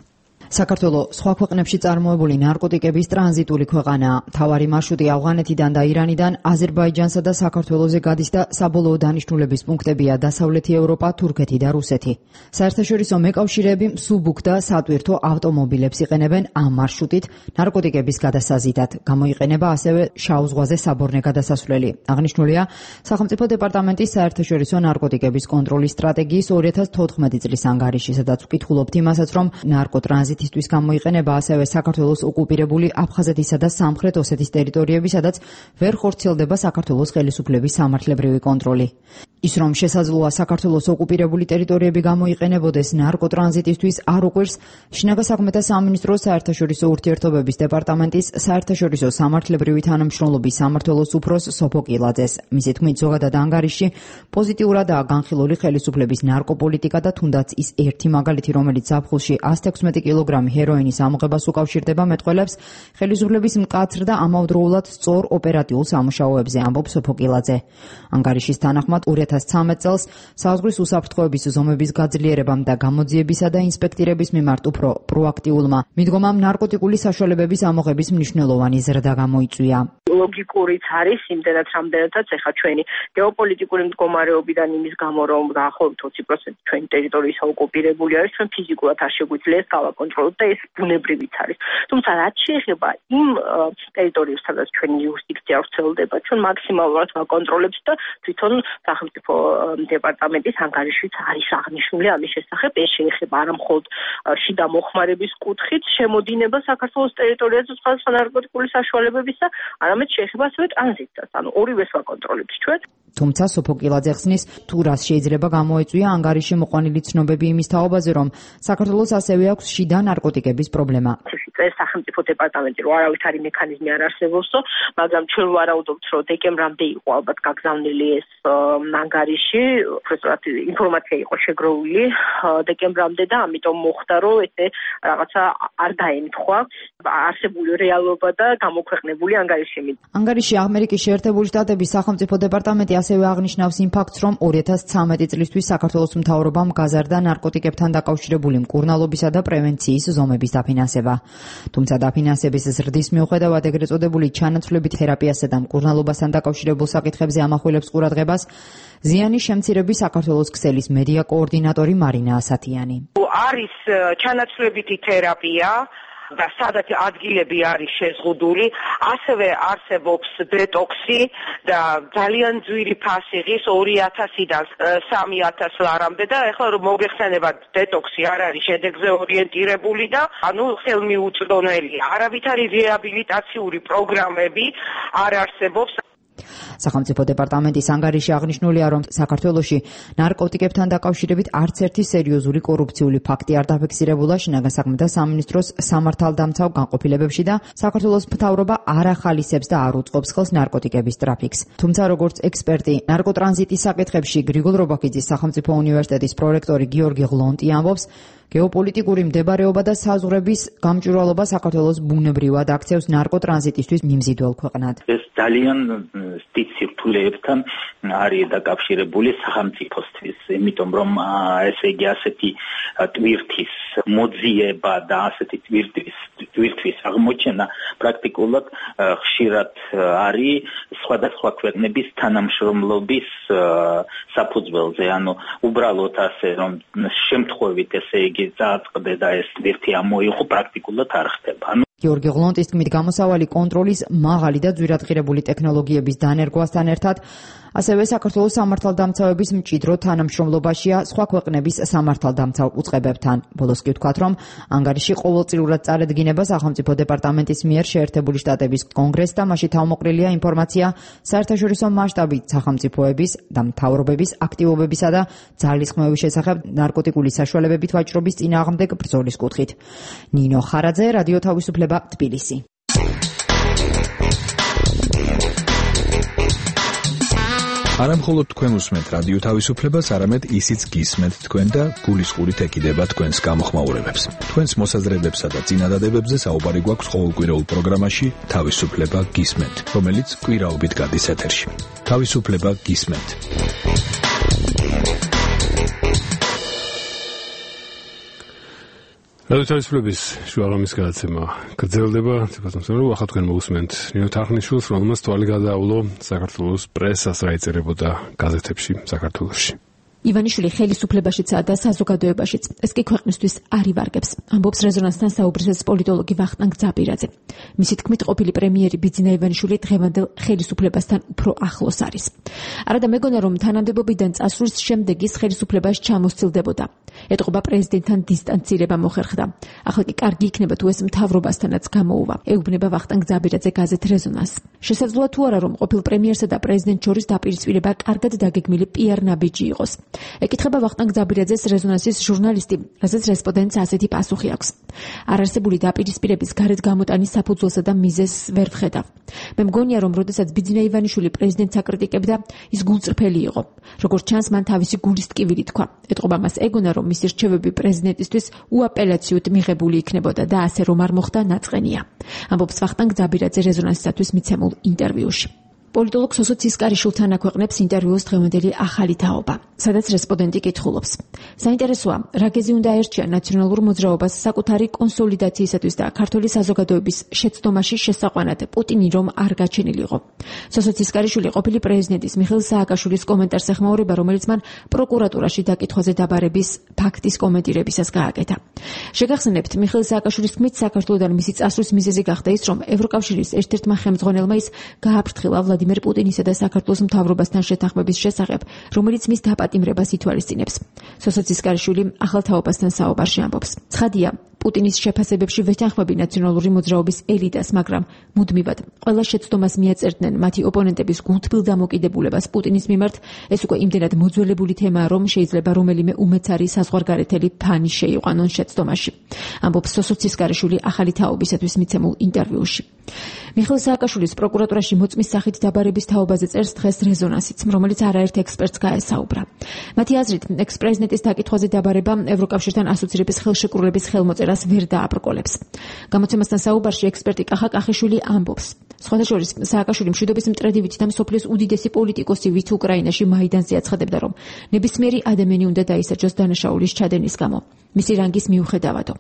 საქართველოს სხვა ქვეყნებში წარმოებული ნარკოტიკების ტრანზიტული ქვეყანაა. მთავარი მარშრუტი ავღანეთიდან და ირანიდან აზერბაიჯანსა და საქართველოზე გადის და საბოლოო დანიშნულების პუნქტებია დასავლეთი ევროპა, თურქეთი და რუსეთი. საერთაშორისო მეკავშირეები მსუბუქ და სატვირთო ავტომობილებს იყენებენ ამ მარშრუტით ნარკოტიკების გადასაზიდად. გამოიყენება ასევე შავ ზღვაზე საბორნე გადასასვლელი. აღნიშნულია სახელმწიფო დეპარტამენტის საერთაშორისო ნარკოტიკების კონტროლის სტრატეგიის ორი ათას თოთხმეტი წლის ანგარიში, სადაც ვკითხულობთ იმასაც, რომ ნარკოტრანზიტ ისთვის გამოიყენება ასევე საქართველოს ოკუპირებული აფხაზეთისა და სამხრეთ ოსეთის ტერიტორიები, სადაც ვერ ხორციელდება საქართველოს ხელისუფლების სამართლებრივი კონტროლი. ის რომ შესაძლოა საქართველოს ოკუპირებული ტერიტორიები გამოიყენებოდეს ნარკოტრანზიტისთვის არ უყვირს შინაგან საქმეთა სამინისტროს საერთაშორისო ურთიერთობების დეპარტამენტის საერთაშორისო სამართლებრივი თანამშრომლობის სამმართველოს უფროს სოფო კილაძეს. მისი თქმით, ზოგადად ანგარიში პოზიტიურადაა განხილული ხელისუფლების ნარკოპოლიტიკა და თუნდაც ის ერთი მაგალითი, რომელიც ზაფხულში ას თექვსმეტი კილოგრამი ჰეროინის ამოღებას უკავშირდება მეტყველებს ხელისუფლების მკაცრ და ამავდროულად სწორ ოპერატიულ სამუშაოებზე, ამბობს სოფო კილაძე. ანგარიშის თანახმად ორი ორ ათას ცხრამეტ წელს საზღვრის უსაფრთხოების ზომების გაძლიერებამ და გამოძიებისა და ინსპექტირების მიმართ უფრო პროაქტიულმა მიდგომამ ნარკოტიკული საშუალებების ამოღების მნიშვნელოვანი ზრდა გამოიწვია. ლოგიკურიც არის იმდენად რამდენადაც ეხა ჩვენი გეოპოლიტიკური მდგომარეობიდან იმის გამო რომ დაახლოებით ოცი პროცენტი ჩვენი ტერიტორიის ოკუპირებული არის ჩვენ ფიზიკურად არ შეგვიძლია ეს გავაკონტროლოთ და ეს ბუნებრივიც არის. თუმცა რაც შეეხება იმ ტერიტორიებს სადაც ჩვენი იურისდიქცია ვრცელდება ჩვენ მაქსიმალურად ვაკონტროლებთ და თვითონ სახელმწიფო დეპარტამენტის ანგარიშიც არის აღნიშნული ამის შესახებ. ეს შეეხება არა მხოლოდ შიდა მოხმარების კუთხით შემოდინება საქართველოს ტერიტორიაზე სხვადასხვა ნარკოტიკული საშუალებების და არამედ შეეხება ასევე ტრანზიტსაც, ანუ ორივეს ვაკონტროლებთ ჩვენ. თუმცა სოფოკილაძე ხსნის, თუ რას შეიძლება გამოეწვია ანგარიში მოყვანილი ცნობები იმის თაობაზე, რომ საქართველოს ასევე აქვს შიდა ნარკოტიკების პრობლემა. ეს სახელმწიფო დეპარტამენტი რო არავითარი მექანიზმი არ არსებობსო, მაგრამ ჩვენ ვარაუდობთ, რომ დეკემბრამდე იყო ალბათ გაგზავნილი ეს ანგარიში, უბრალოდ ინფორმაცია იყო შეგროვილი დეკემბრამდე და ამიტომ მოხდა, რომ ესე რაღაცა არ დაემთხვა არსებული რეალობა და გამოქვეყნებული ანგარიში. ანგარიში ამერიკის შეერთებული შტატების სახელმწიფო დეპარტამენტი ასევე აღნიშნავს იმ ფაქტს, რომ ორი ათას ცხრამეტი წლისთვის საქართველოს მთავრობამ გაზარდა ნარკოტიკებთან დაკავშირებული მკურნალობისა და პრევენციის ზომების დაფინანსება. თუმცა დაფინანსების ზრდის მიუხედავად ეგრეთ წოდებული ჩანაცვლებით თერაპიასა და მკურნალობასთან დაკავშირებულ საკითხებზე ამახვილებს ყურადღებას ზიანის შემცირების საქართველოს ქსელის მედია კოორდინატორი მარინა ასათიანი. არის ჩანაცვლებითი თერაპია და სადაც ადგილები არის შეზღუდული, ასევე არსებობს დეტოქსი და ძალიან ძვირი ფასიღის ორი ათასიდან სამი ათას ლარამდე და ეხლა რომ მოგეხსენებათ დეტოქსი არ არის შედეგზე ორიენტირებული და ანუ ხელმიუწვდომელი არავითარი რეაბილიტაციური პროგრამები არ არსებობს. სახელმწიფო დეპარტამენტის ანგარიში აღნიშნულია, რომ საქართველოში ნარკოტიკებთან დაკავშირებით არც ერთი სერიოზული კორუფციული ფაქტი არ დაფიქსირებულა შინაგან საქმეთა სამინისტროს სამართალდამცავ განყოფილებებში და საქართველოს მთავრობა არ ახალისებს და არ უწყობს ხელს ნარკოტიკების ტრაფიკს. თუმცა როგორც ექსპერტი ნარკოტრანზიტის საკითხებში გრიგოლ რობაქიძის სახელმწიფო უნივერსიტეტის პრორექტორი გიორგი ღლონტი ამბობს, გეოპოლიტიკური მდებარეობა და საზღვრების გამჭვირვალობა საქართველოს ბუნებრივად აქცევს ნარკოტრანზიტისთვის მიმზიდველ ქვეყნად. ეს ძალიან დიდ სირთულეებთან არის დაკავშირებული სახელმწიფოსთვის, იმიტომ რომ ესე იგი ასეთი ტვირთის მოძიება და ასეთი ტვირთის ტვირთვის აღმოჩენა პრაქტიკულად ხშირად არის სხვადასხვა ქვეყნების თანამშრომლობის საფუძველზე, ანუ უბრალოდ ასე რომ შემთხვევით ესე იგი წააწყდე და ეს ტვირთი ამოიღო პრაქტიკულად არ ხდება. გიორგი ღლონტის თქმით, გამოსავალი კონტროლის მაღალი და ძვირადღირებული ტექნოლოგიების დანერგვასთან ერთად ასევე საქართველოს სამართალდამცავების მჭიდრო თანამშრომლობაშია სხვა ქვეყნების სამართალდამცავ უწყებებთან. ბოლოს კი ვთქვათ, რომ ანგარიში ყოველწლიურად წარედგინება სახელმწიფო დეპარტამენტის მიერ შეერთებული შტატების კონგრესს და მასში თავმოყრილია ინფორმაცია საერთაშორისო მასშტაბით სახელმწიფოების და მთავრობების აქტივობებისა და ძალისხმევების შესახებ ნარკოტიკული საშუალებებით ვაჭრობის წინააღმდეგ ბრძოლის კუთხით. ნინო ხარაძე, რადიო თავისუფლება, თბილისი. არა მხოლოდ თქვენ უსმენთ რადიო თავისუფლებას, არამედ ისიც გისმენთ თქვენ და გულისყურით ეკიდება თქვენს გამოხმაურებებს. თქვენს მოსაზრებებსა და წინადადებებზე საუბარი გვაქვს ყოველკვირეულ პროგრამაში თავისუფლება გისმენთ, რომელიც კვირაობით გადის ეთერში. თავისუფლება გისმენთ. რადიო თავისუფლების შუაღამის გადაცემა გრძელდება. ცეკვასმოსმენო ახლა თქვენ მოусმენთ ნინო თარხნიშვილს, რომელმაც თვალი გადაავლო საქართველოს პრესას, რა იწერებოდა გაზეთებში საქართველოში. ივანიშვილი ხელისუფლებაშიცაა და საზოგადოებაშიც. ეს კი ქვეყნისთვის არ ივარგებს, ამბობს რეზონანსთან საუბრისას პოლიტოლოგი ვახტანგ ძაბირაძე. მისი თქმით, ყოფილი პრემიერი ბიძინა ივანიშვილი დღევანდელ ხელისუფლებასთან უფრო ახლოს არის. არადა მეგონა, რომ თანამდებობიდან წასვლის შემდეგ ის ხელისუფლებას ჩამოსცილდებოდა. ეტყობა პრეზიდენტთან დისტანცირება მოხერხდა. ახლა კი კარგი იქნება თუ ეს მთავრობასთანაც გამოუვა. ეუბნება ვახტანგ ძაბირაძე გაზეთ რეზონანს. შესაძლოა თუ არა, რომ ყოფილ პრემიერსა და პრეზიდენტ შორის დაპირისპირება კარგად დაგეგმილი პიარ ნაბიჯი იყოს. ეკითხება ვახტანგ ძაბირაძეს რეზონანსის ჟურნალისტი, რასაც რესპონდენტს ასეთი პასუხი აქვს. არარსებული დაპირისპირების გარეთ გამოტანის საფუძველსა და მიზეზს ვერ ვხედავ. მე მგონია, რომ როდესაც ბიძინა ივანიშვილი პრეზიდენტს აკრიტიკებდა, ის გულწრფელი იყო. როგორც ჩანს, მან თავისი გულის ტკივილი თქვა. ეტყობა მას ეგონა, რომ მისი რჩევები პრეზიდენტისთვის უაპელაციოდ მიღებული იქნებოდა და ასე რომ არ მოხდა, ნაწყენია. ამბობს ვახტანგ ძაბირაძე რეზონანსისათვის მიცემულ ინტერვიუში. პოლიტოლოგ სოსო ცისკარიშვილთან აქვეყნებს ინტერვიუს დღევანდელი ახალი თაობა, სადაც რესპონდენტი კითხულობს. საინტერესოა, რა გეზი უნდა აერჩია ნაციონალურ მოძრაობას საკუთარი კონსოლიდაციისათვის და ქართული საზოგადოების შეცდომაში შესაყვანად პუტინი რომ არ გაჩენილიყო. სოსო ცისკარიშვილი ყოფილი პრეზიდენტის მიხეილ სააკაშვილის კომენტარს ეხმაურება, რომელიც მან პროკურატურაში დაკითხვაზე დაბარების ფაქტის კომენტირებისას გააკეთა. შეგახსენებთ, მიხეილ სააკაშვილის თქმით, საქართველოსთან მისი წასვლის მიზეზი გახდა ის, რომ ევროკავშირის ერთ-ერთმა ხელმძღვანელმა ის გააფრთხილა ვლადიმერ პუტინისა და საქართველოს მთავრობასთან შეთანხმების შესახებ, რომელიც მის დაპატიმრებას ითვალისწინებს. სოსო ცისკარიშვილი ახალ თაობასთან საუბარში ამბობს. ცხადია, პუტინის შეფასებებში ვეთანხმები ნაციონალური მოძრაობის ელიტას, მაგრამ მუდმივად ყველა შეცდომას მიაწერდნენ მათი ოპონენტების გულთბილ დამოკიდებულებას პუტინის მიმართ. ეს უკვე იმდენად მოძველებული თემაა, რომ შეიძლება რომელიმე უმეცარი საზღვარგარეთელი ფანი შეიყვანონ შეცდომაში. ამბობს სოსო ცისკარიშვილი ახალი თაობისათვის მიცემულ ინტერვიუში. მიხეილ სააკაშვილის პროკურატურაში მოწმის სახით დაბარების თაობაზე წერს დღეს რეზონანსიც, რომელიც არაერთ ექსპერტს გაესაუბრა. მათი აზრით, ექს-პრეზიდენტის დაკითხვაზე დაბარება ევროკავშირთან ასოცირების ხელშეკრულების ხელმოწერას ვერ დააბრკოლებს. გამოცემასთან საუბარში ექსპერტი კახა კახიშვილი ამბობს. სხვათა შორის, სააკაშვილი მშვიდობის მტრედივით და მსოფლიოს უდიდესი პოლიტიკოსი, ვით უკრაინაში მაიდანზე აცხადებდა, რომ ნებისმიერი ადამიანი უნდა დაისაჯოს დანაშაულის ჩადენის გამო. მისი რანგის მიუხედავადო.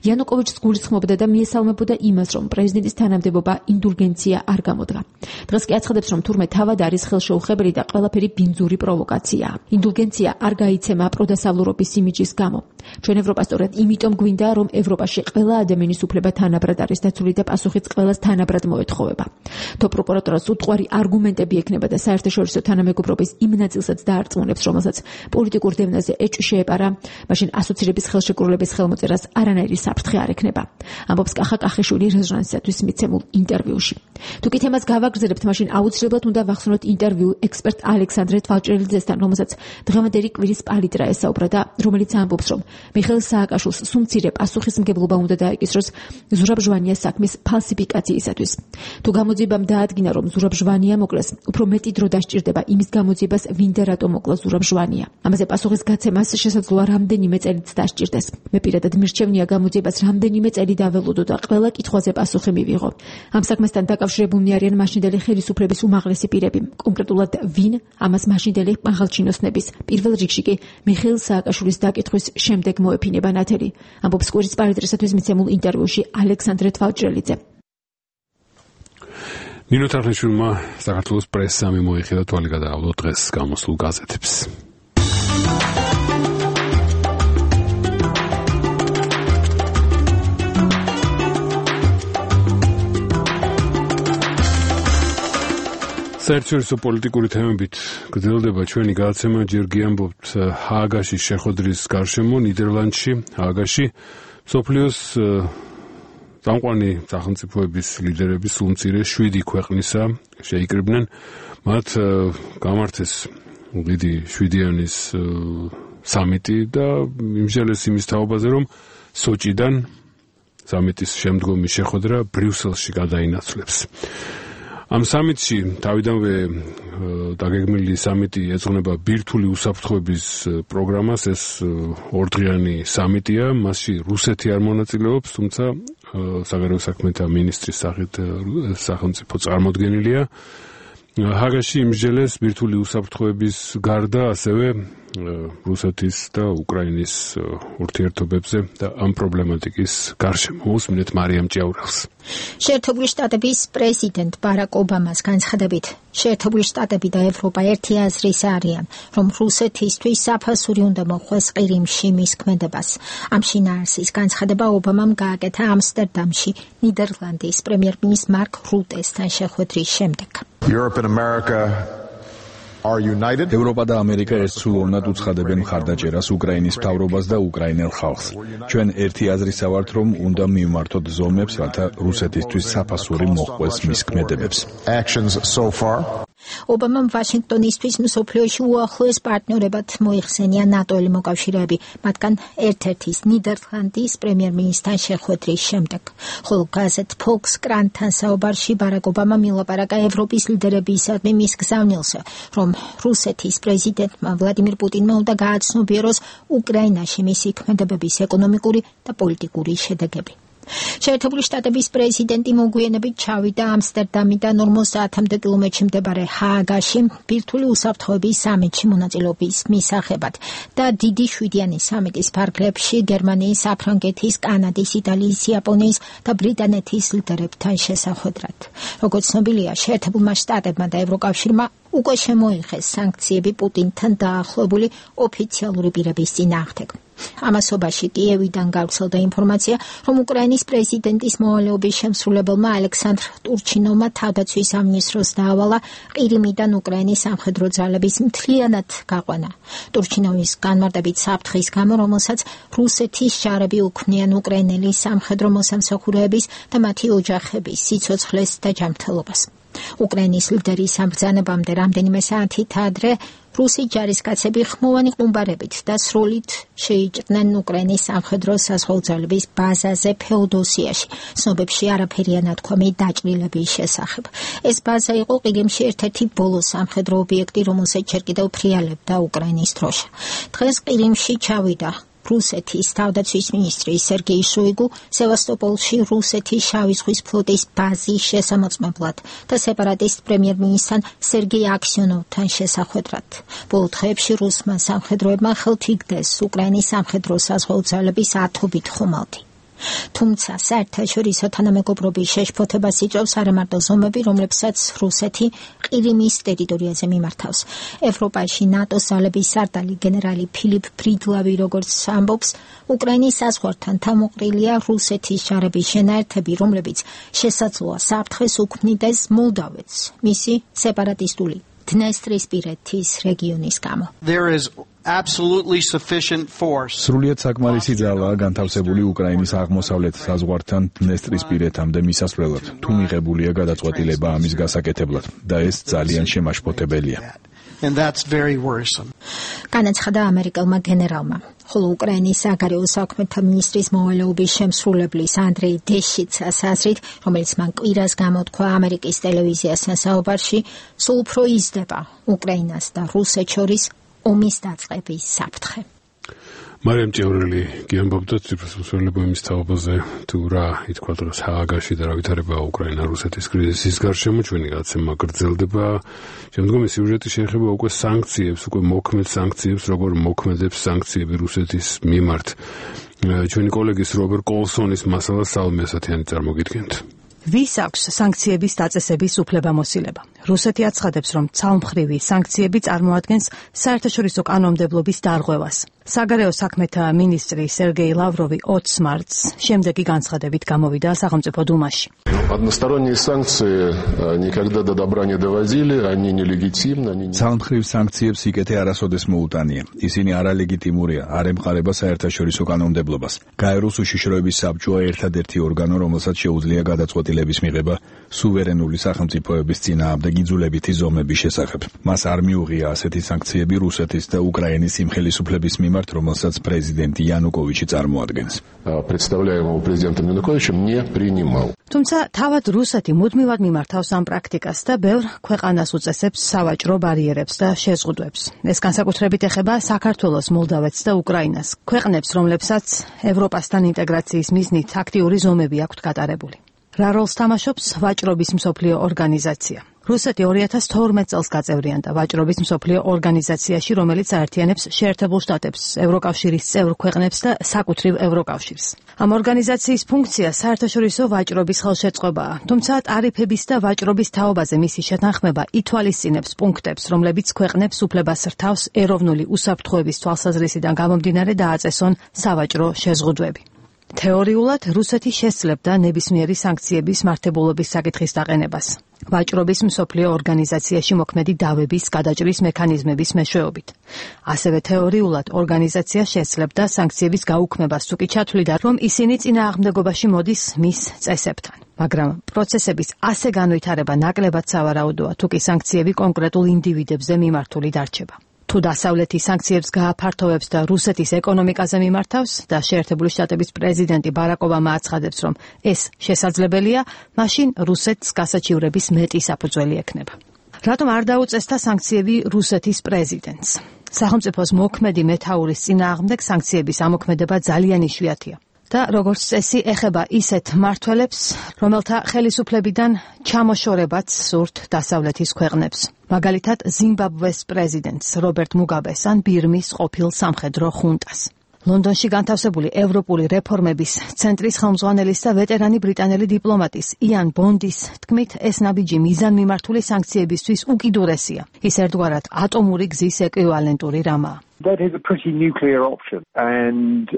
იანუკოვიჩს გულისხმობდა და მიესალმებოდა იმას, რომ პრეზიდენტის თანამდებობა ინდულგენცია არ გამოდგა. დღეს კი აცხადებს, რომ თურმე თავად არის ხელშეუხებელი და ყველაფერი ბინძური პროვოკაციაა. ინდულგენცია არ გაიცემა პროდასავლურობის იმიჯის გამო. ჩვენ ევროპა სწორედ იმიტომ გვინდა, რომ ევროპაში ყველა ადამიანის უფლება თანაბრად არის დაცული და პასუხიც ყველას თანაბრად მოეთხოვება. თო პროკურატურას უტყვარი არგუმენტები ექნება და საერთაშორისო თანამეგობრობის იმ ნაწილსაც დაარწმუნებს, რომელსაც პოლიტიკურ დევნაზე ეჭვი შეეპარა, მაშინ ასოცირების ხელშეკრულების ხელმოწერას არანაირი საფრთხე არ ექნება. ამბობს კახა კახიშვილი რეზონანსისათვის მიცემულ ინტერვიუში. თუ კი თემას გავაგრძელებთ, მაშინ აუცილებლად უნდა ვახსნოთ ინტერვიუ ექსპერტ ალექსანდრე თვალჭრელიძესთან, რომელსაც დღევანდელი კვირის პალიტრა ესაუბრა და რომელიც ამბობს, რომ მიხეილ სააკაშვილს სუმცირე პასუხისმგებლობა უნდა დაეკისროს ზურაბ ჟვანიას საქმის ფალსიფიკაციისათვის. თუ გამოძიებამ დაადგინა, რომ ზურაბ ჟვანია მოკლეს, უფრო მეტი დრო დასჭირდება იმის გამოძიებას, ვინ და რატომ მოკლა ზურაბ ჟვანია. ამაზე პასუხის გაცემას შესაძლოა რამდენიმე წელიც დასჭირდეს. მე პირადად მირჩევნია გამოძიებას რამდენიმე წელი დაველოდო და ყველა კითხვაზე პასუხი მივიღო. ამ საქმესთან დაკავშირებულნი არიან მაშინდელი ხელისუფლების უმაღლესი პირები, კონკრეტულად ვინ ამას მაშინდელი მაღალჩინოსნების, პირველ რიგში კი მიხეილ სააკაშვილის დაკითხვის შემდეგ მოეფინება ნათელი. ამბობს კვირის პალიტრისათვის მიცემულ ინტერვიუში ალექსანდრე თვალჭრელიძე. ნინო თარხნიშვილმა საქართველოს პრესამ მოიხადა თვალი გადაავლო დღეს გამოსულ გაზეთებს. საერთაშორისო პოლიტიკური თემებით გრძელდება ჩვენი გადაცემა. ჯერ გიამბობთ ჰააგაში შეხვედრის გარშემო ნიდერლანდში, ჰააგაში მსოფლიოს წამყვანი სახელმწიფოების ლიდერები სულ მცირე შვიდი ქვეყნისა შეიკრიბნენ. მათ გამართეს დიდი შვიდიანის სამიტი და იმჟელეს იმის თაობაზე, რომ სოჭიდან სამიტის შემდგომი შეხვედრა ბრიუსელში გადაინაცვლებს. ამ სამიტში თავიდანვე დაგეგმილი სამიტი ეძღვნება ბირთვული უსაფრთხოების პროგრამას. ეს ორდღიანი სამიტია, მასში რუსეთი არ მონაწილეობს, თუმცა საგარეო საქმეთა მინისტრის სახით სახელმწიფო წარმოდგენილია. ჰააგაში იმსჯელეს ბირთვული უსაფრთხოების გარდა ასევე რუსეთის და უკრაინის ურთიერთობებზე და ამ პრობლემატიკის გარშემო. უსმინეთ მარიამ ჭიაურელს. შეერთებული შტატების პრეზიდენტ ბარაკ ობამას განცხადებით, შეერთებული შტატები და ევროპა ერთი აზრის არიან, რომ რუსეთისთვის საფასური უნდა მოხვდეს ყირიმში მის ქმედებას. ამ შინაარსის განცხადება ობამამ გააკეთა ამსტერდამში ნიდერლანდის პრემიერ-მინისტრ მარკ რუტესთან შეხვედრის შემდეგ. Europe and America are united. ევროპა და ამერიკა ერთსულოვნად უცხადებენ მხარდაჭერას უკრაინის მთავრობას და უკრაინელ ხალხს. ჩვენ ერთი აზრისა ვართ, რომ უნდა მივმართოთ ზომებს, რათა რუსეთისთვის საფასური მოხვდეს მის ქმედებებს. Actions so far. ობამამ ვაშინგტონისთვის მსოფლიოში უახლოეს პარტნიორებად მოიხსენია ნატოელი მოკავშირეები, მათგან ერთ-ერთის ნიდერლანდის პრემიერ-მინისტრთან შეხვედრის შემდეგ. ხოლო გაზეთ Fox Crime-თან საუბარში ბარაკ ობამამ ილაპარაკა ევროპის ლიდერებისადმი მის გზავნილზე, რომ რუსეთის პრეზიდენტმა ვლადიმირ პუტინმა უნდა გააცნობიეროს უკრაინაში მისი ქმედებების ეკონომიკური და პოლიტიკური შედეგები. შეერთებული შტატების პრეზიდენტი მოგვიანებით ჩავიდა ამსტერდამიდან ორმოცდაათამდე კილომეტრში მდებარე ჰააგაში ბირთვული უსაფრთხოების სამიტში მონაწილეობის მისაღებად და დიდი შვიდიანი სამიტის ფარგლებში გერმანიის, საფრანგეთის, კანადის, იტალიის, იაპონიის და ბრიტანეთის ლიდერებთან შესახვედრად. როგორც ცნობილია, შეერთებულმა შტატებმა და ევროკავშირმა უკვე შემოიღეს სანქციები პუტინთან დაახლოებული ოფიციალური პირების წინააღმდეგ. ამასობაში კიევიდან გავრცელდა ინფორმაცია, რომ უკრაინის პრეზიდენტის მოვალეობის შემსრულებელმა ალექსანდრ ტურჩინოვმა თავდაცვის სამინისტროს დაავალა ყირიმიდან უკრაინის სამხედრო ძალების მთლიანად გაყვანა. ტურჩინოვის განმარტებით საფრთხის გამო, რომელსაც რუსეთის ჯარები უქმნიან უკრაინელი სამხედრო მოსამსახურეების და მათი ოჯახების სიცოცხლეს და ჯანმრთელობას. უკრაინის ლიდერის ამბრძანებამდე რამდენიმე საათით ადრე რუსი ჯარისკაცები ხმოვანი ყუმბარებით და სროლით შეიჭრნენ უკრაინის სამხედრო საზღვაო ძალების ბაზაზე ფეოდოსიაში. ცნობებში არაფერია ნათქვამი დაჭრილების შესახებ. ეს ბაზა იყო ყირიმში ერთ-ერთი ბოლო სამხედრო ობიექტი, რომელსაც ჯერ კიდევ ფრიალებდა უკრაინის დროშა. დღეს ყირიმში ჩავიდა რუსეთის თავდაცვის მინისტრი სერგეი შოიგუ სევასტოპოლში რუსეთის შავი ზღვის ფლოტის ბაზის შესამოწმებლად და სეპარატისტ პრემიერ-მინისტრთან სერგეი აქსიონოვთან შესახვედრად. ბოლო დღეებში რუსმა სამხედროებმა ხელთ იგდეს უკრაინის სამხედრო საზღვაო ძალების ათობით ხომალდი. თუმცა საერთაშორისო თანამეგობრობის შეშფოთებას იწვევს არამარტო ზომები, რომლებსაც რუსეთი ყირიმის ტერიტორიაზე მიმართავს. ევროპაში ნატოს ძალების სარდალი გენერალი ფილიპ ფრიდლავი როგორც ამბობს, უკრაინის საზღვართან თავმოყრილია რუსეთის ჯარების შენაერთები, რომლებიც შესაძლოა საფრთხეს უქმნიდეს მოლდავეთს მისი სეპარატისტული დნესტრისპირეთის რეგიონის გამო. There is absolutely sufficient force. სრულიად საკმარისი ძალაა განთავსებული უკრაინის აღმოსავლეთ საზღვართან დნესტრისპირეთამდე მისასვლელად. თუ მიღებულია გადაწყვეტილება ამის გასაკეთებლად და ეს ძალიან შემაშფოთებელია. And that's very worrisome. განაცხადა ამერიკელმა გენერალმა, ხოლო უკრაინის საგარეო საქმეთა მინისტრის მოვალეობის შემსრულებლის ანდრეი დეშიცას აზრით, რომელიც მან კვირას გამოთქვა ამერიკის ტელევიზიასთან საუბარში, სულ უფრო იზრდება უკრაინას და რუსეთს შორის ომის დაწყების საფრთხე. მარიამ ჭევრელი გიამბობდა ციფროსმსვლელობა იმის თაობაზე, თუ რა ითქვა დღეს ჰააგაში და რა ვითარება უკრაინა-რუსეთის კრიზისის გარშემო, ჩვენი გადაცემა გრძელდება. შემდგომი სიუჟეტი შეეხება უკვე სანქციებს, უკვე მოქმედ სანქციებს, როგორ მოქმედებს სანქციები რუსეთის მიმართ. ჩვენი კოლეგის რობერტ კოლსონის მასალა სალმე ასათიანი წარმოგიდგენთ. ვის აქვს სანქციების დაწესების უფლებამოსილება? რუსეთი აცხადებს, რომ ცალმხრივი სანქციები წარმოადგენს საერთაშორისო კანონმდებლობის დარღვევას. საგარეო საქმეთა მინისტრი სერგეი ლავროვი ოცს მარტს შემდეგი განცხადებით გამოვიდა სახელმწიფო დუმაში. Односторонние санкции никогда до добра не доводили, они нелегитимны, они не... ცალმხრივ სანქციებს იკეთე არასოდეს მოუტანია. ისინი არალეგიტიმურია, არ ემყარება საერთაშორისო კანონმდებლობას. გაეროს უშიშროების საბჭოა ერთადერთი ორგანო, რომელსაც შეუძლია გადაწყვეტილების მიღება სუვერენული სახელმწიფოების წინააღმდეგ იძულებითი ზომების შესახებ. მას არ მიუღია ასეთი სანქციები რუსეთის და უკრაინის სიმხელისუფლების მიმართ, რომელსაც პრეზიდენტი იანუკოვიჩი წარმოადგენს. Представляемого президентом Януковичем не принимал. თუმცა თავად რუსეთი მუდმივად მიმართავს ამ პრაქტიკას და ბევრ ქვეყანას უწესებს სავაჭრო ბარიერებს და შეზღუდვებს. ეს განსაკუთრებით ეხება საქართველოს, მოლდავეთს და უკრაინას, ქვეყნებს, რომლებსაც ევროპასთან ინტეგრაციის მიზნით აქტიური ზომები აქვთ გატარებული. რა როლს თამაშობს ვაჭრობის მსოფლიო ორგანიზაცია? რუსეთი ორი ათას თორმეტ წელს გაწევრიანდა ვაჭრობის მსოფლიო ორგანიზაციაში, რომელიც აერთიანებს შეერთებულ შტატებს, ევროკავშირის წევრ ქვეყნებს და საკუთრივ ევროკავშირს. ამ ორგანიზაციის ფუნქცია საერთაშორისო ვაჭრობის ხელშეწყობაა, თუმცა ტარიფების და ვაჭრობის თაობაზე მისი შეთანხმება ითვალისწინებს პუნქტებს, რომლებიც ქვეყნებს უფლებას რთავს ეროვნული უსაფრთხოების თვალსაზრისიდან გამომდინარე დააწესონ სავაჭრო შეზღუდვები. თეორიულად რუსეთი შესძლებდა ნებისმიერი სანქციების მართებულობის საკითხის დაყენებას. ვაჭრობის მსოფლიო ორგანიზაციაში მოქმედი დავების გადაჭრის მექანიზმების მეშვეობით. ასევე თეორიულად ორგანიზაცია შესძლებდა სანქციების გაუქმებას, თუ კი ჩათვლიდა, რომ ისინი წინააღმდეგობაში მოდის მის წესებთან. მაგრამ პროცესების ასე განვითარება ნაკლებად სავარაუდოა, თუ კი სანქციები კონკრეტულ ინდივიდებზე მიმართული დარჩება. თუ დასავლეთი სანქციებს გააფართოვებს და რუსეთის ეკონომიკაზე მიმართავს და შეერთებული შტატების პრეზიდენტი ბარაკ ობამა აცხადებს, რომ ეს შესაძლებელია, მაშინ რუსეთს გასაჩივრების მეტი საფუძველი ექნება. რატომ არ დაუწესდა სანქციები რუსეთის პრეზიდენტს? სახელმწიფოს მოქმედი მეთაურის წინააღმდეგ სანქციების ამოქმედება ძალიან იშვიათია. და როგორც წესი ეხება ისეთ მმართველებს, რომელთა ხელისუფლებიდან ჩამოშორებაც სურთ დასავლეთის ქვეყნებს. მაგალითად, ზიმბაბვეს პრეზიდენტს რობერტ მუგაბეს ან ბირმის ყოფილ სამხედრო ხუნტას. ლონდონში განთავსებული ევროპული რეფორმების ცენტრის ხელმძღვანელის და ვეტერანი ბრიტანელი დიპლომატის იან ბონდის თქმით, ეს ნაბიჯი მიზანმიმართული სანქციებისთვის უკიდურესია. ის ერთგვარად ატომური გზის ეკვივალენტური რამაა. That is a pretty nuclear option, and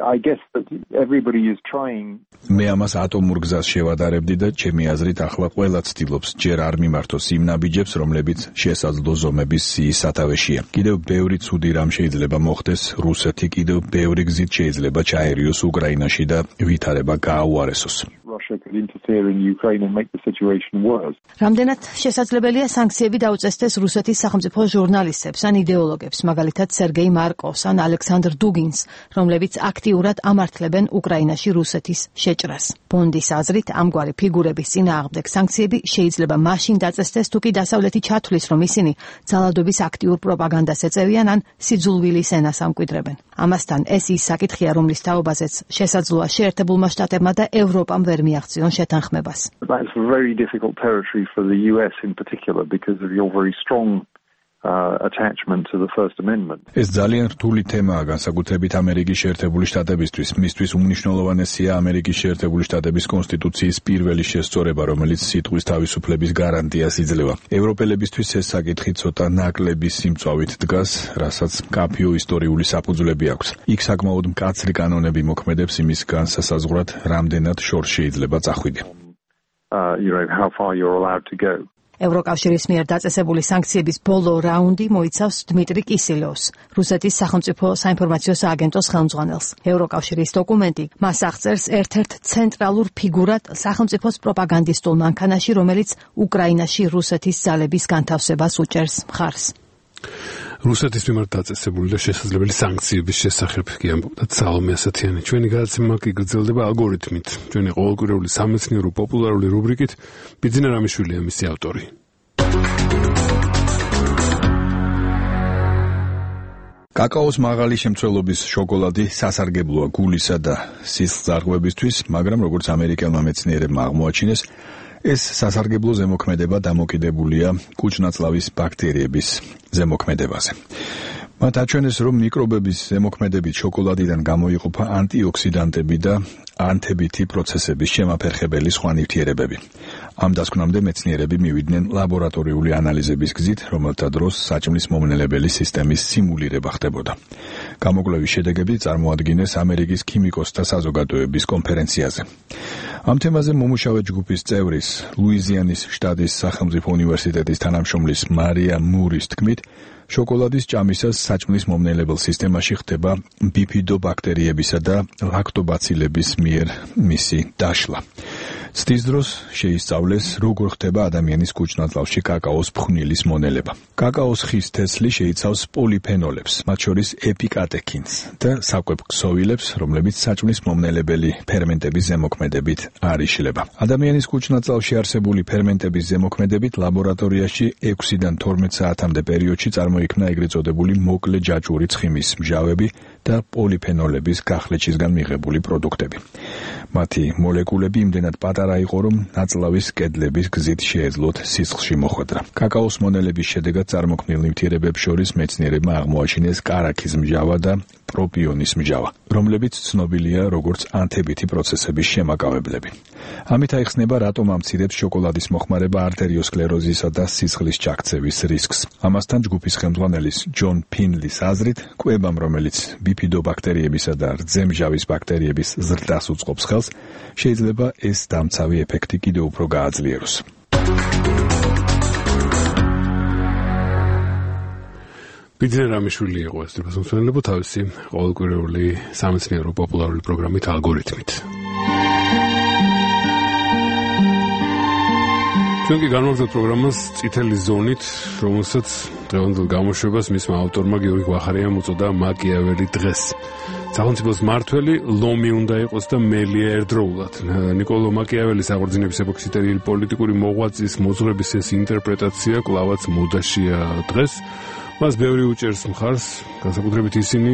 I guess that everybody is trying. მე ამას ატომურ გზას შევადარებდი და ჩემი აზრით ახლა ყველა ცდილობს ჯერ არ მიმართოს იმ ნაბიჯებს, რომლებიც შესაძლო ზომების სიის სათავეშია. კიდევ ბევრი ცუდი რამ შეიძლება მოხდეს, რუსეთი კიდევ ბევრი გზით შეიძლება ჩაერიოს უკრაინაში და ვითარება გააუარესოს. Russia could interfere in Ukraine and make the situation worse. რამდენად შესაძლებელია სანქციები დაუწესდეს რუსეთის სახელმწიფო ჟურნალისტებს ან იდეოლოგებს, მაგალითად სერგეი მარკოვს ან ალექსანდრ დუგინს, რომლებიც აქტიურად ამართლებენ უკრაინაში რუსეთის შეჭრას. ბონდის აზრით, ამგვარი ფიგურების წინააღმდეგ სანქციები შეიძლება მაშინ დაწესდეს, თუ კი დასავლეთი ჩათვლის, რომ ისინი ძალადობის აქტიურ პროპაგანდას ეწევიან ან სიძულვილის ენას ამკვიდრებენ. ამასთან ეს ის საკითხია, რომლის თაობაზეც შესაძლოა შეერთებულმა შტატებმა და ევროპამ ვერ მიაღწიონ შეთანხმებას. That's very difficult territory for the U S in particular because of your very strong uh, attachment to the First Amendment. ეს ძალიან რთული თემაა განსაკუთრებით ამერიკის შეერთებული შტატებისთვის. მისთვის უმნიშვნელოვანესია ამერიკის შეერთებული შტატების კონსტიტუციის პირველი შესწორება, რომელიც სიტყვის თავისუფლების გარანტიას იძლევა. ევროპელებისთვის ეს საკითხი ცოტა ნაკლების სიმწვავით დგას, რასაც მკაფიო ისტორიული საფუძვლები აქვს. იქ საკმაოდ მკაცრი კანონები მოქმედებს იმის განსასაზღვრად, რამდენად შორს შეიძლება წახვიდე. Uh, you know how far you're allowed to go. ევროკავშირის მიერ დაწესებული სანქციების ბოლო რაუნდი მოიცავს დმიტრი კისილოვს, რუსეთის სახელმწიფო საინფორმაციო სააგენტოს ხელმძღვანელს. ევროკავშირის დოკუმენტი მას აღწერს ერთ-ერთ ცენტრალურ ფიგურად სახელმწიფოს პროპაგანდისტულ მანქანაში, რომელიც უკრაინაში რუსეთის ძალების განთავსებას უჭერს მხარს. რუსეთის მიმართ დაწესებული და შესაძლებელი სანქციების შესახებ კი ამბობდა სალომე ასათიანი. ჩვენი გადაცემა კი გრძელდება ალგორითმით. ჩვენი ყოველკვირეული სამეცნიერო პოპულარული რუბრიკით ბიძინა რამიშვილია მისი ავტორი. კაკაოს მაღალი შემცველობის შოკოლადი სასარგებლოა გულისა და სისხლძარღვებისთვის, მაგრამ როგორც ამერიკელმა მეცნიერებმა აღმოაჩინეს, ეს სასარგებლო ზემოქმედება დამოკიდებულია კუჭნაწლავის ბაქტერიების ზემოქმედებაზე. მათ აჩვენეს, რომ მიკრობების ზემოქმედებით შოკოლადიდან გამოიყოფა ანტიოქსიდანტები და ანთებითი პროცესების შემაფერხებელი სხვა ნივთიერებები. ამ დასკვნამდე მეცნიერები მივიდნენ ლაბორატორიული ანალიზების გზით, რომელთა დროს საჭმლის მომნელებელი სისტემის სიმულირება ხდებოდა. გამოკვლევის შედეგები წარმოადგინეს ამერიკის ქიმიკოსთა საზოგადოების კონფერენციაზე. ამ თემაზე მომუშავე ჯგუფის წევრის, ლუიზიანის შტატის სახელმწიფო უნივერსიტეტის თანამშრომლის მარია მურის თქმით, შოკოლადის ჭამისას საჭმლის მომნელებელ სისტემაში ხდება ბიფიდობაქტერიებისა და ლაქტობაცილების მიერ მისი დაშლა. ცდის დროს შეისწავლეს, როგორ ხდება ადამიანის კუჭნაწლავში კაკაოს ფხვნილის მონელება. კაკაოს ხის თესლი შეიცავს პოლიფენოლებს, მათ შორის ეპიკატექინს და საკვებ-ქსოვილებს, რომლებიც საჭმლის მომნელებელი ფერმენტების ზემოქმედებით არ იშლება. ადამიანის კუჭნაწლავში არსებული ფერმენტების ზემოქმედებით ლაბორატორიაში ექვსიდან თორმეტ საათამდე პერიოდში წარმოიქმნა ეგრეთ წოდებული მოკლე ჯაჭვური ცხიმის მჟავები და პოლიფენოლების გახლეჩისგან მიღებული პროდუქტები. მათი მოლეკულები იმდენად პატარა იყო, რომ ნაწლავის კედლების გზით შეეძლოთ სისხლში მოხვედრა. კაკაოს მონელების შედეგად წარმოქმნილ ნივთიერებებს შორის მეცნიერებმა აღმოაჩინეს კარაქის მჟავა და პროპიონის მჟავა, რომლებიც ცნობილია როგორც ანთებითი პროცესების შემაკავებლები. ამით აიხსნება, რატომ ამცირებს შოკოლადის მოხმარება არტერიოსკლეროზისა და სისხლის ჩაქცევის რისკს. ამასთან ჯგუფის ხელმძღვანელის ჯონ ფინლის აზრით, კვებამ, რომელიც ბიფიდობაქტერიებისა და რძემჟავის ბაქტერიების ზრდას უწყობს ხელს, შეიძლება ეს დამცავი ეფექტი კიდევ უფრო გააძლიეროს. ბიძინა რამიშვილი იყო ეს დროშმსვენელო თავისი ყოველკვირეული სამეცნიერო პოპულარული პროგრამით ალგორითმით. ჩვენ კი განვაგრძობთ პროგრამას წითელი ზონით, რომელსაც დღევანდელ გამოშვებას მისმა ავტორმა გიორგი გვახარიამ უწოდა მაკიაველი დღეს. სახელმწიფოს მართველი ლომი უნდა იყოს და მელია ერთდროულად. ნიკოლო მაკიაველის აღორძინების ეპოქის პოლიტიკური მოღვაწის მოძღვრების ეს ინტერპრეტაცია კლავაც მოდაშია დღეს. მას ბევრი უჭერს მხარს, განსაკუთრებით ისინი,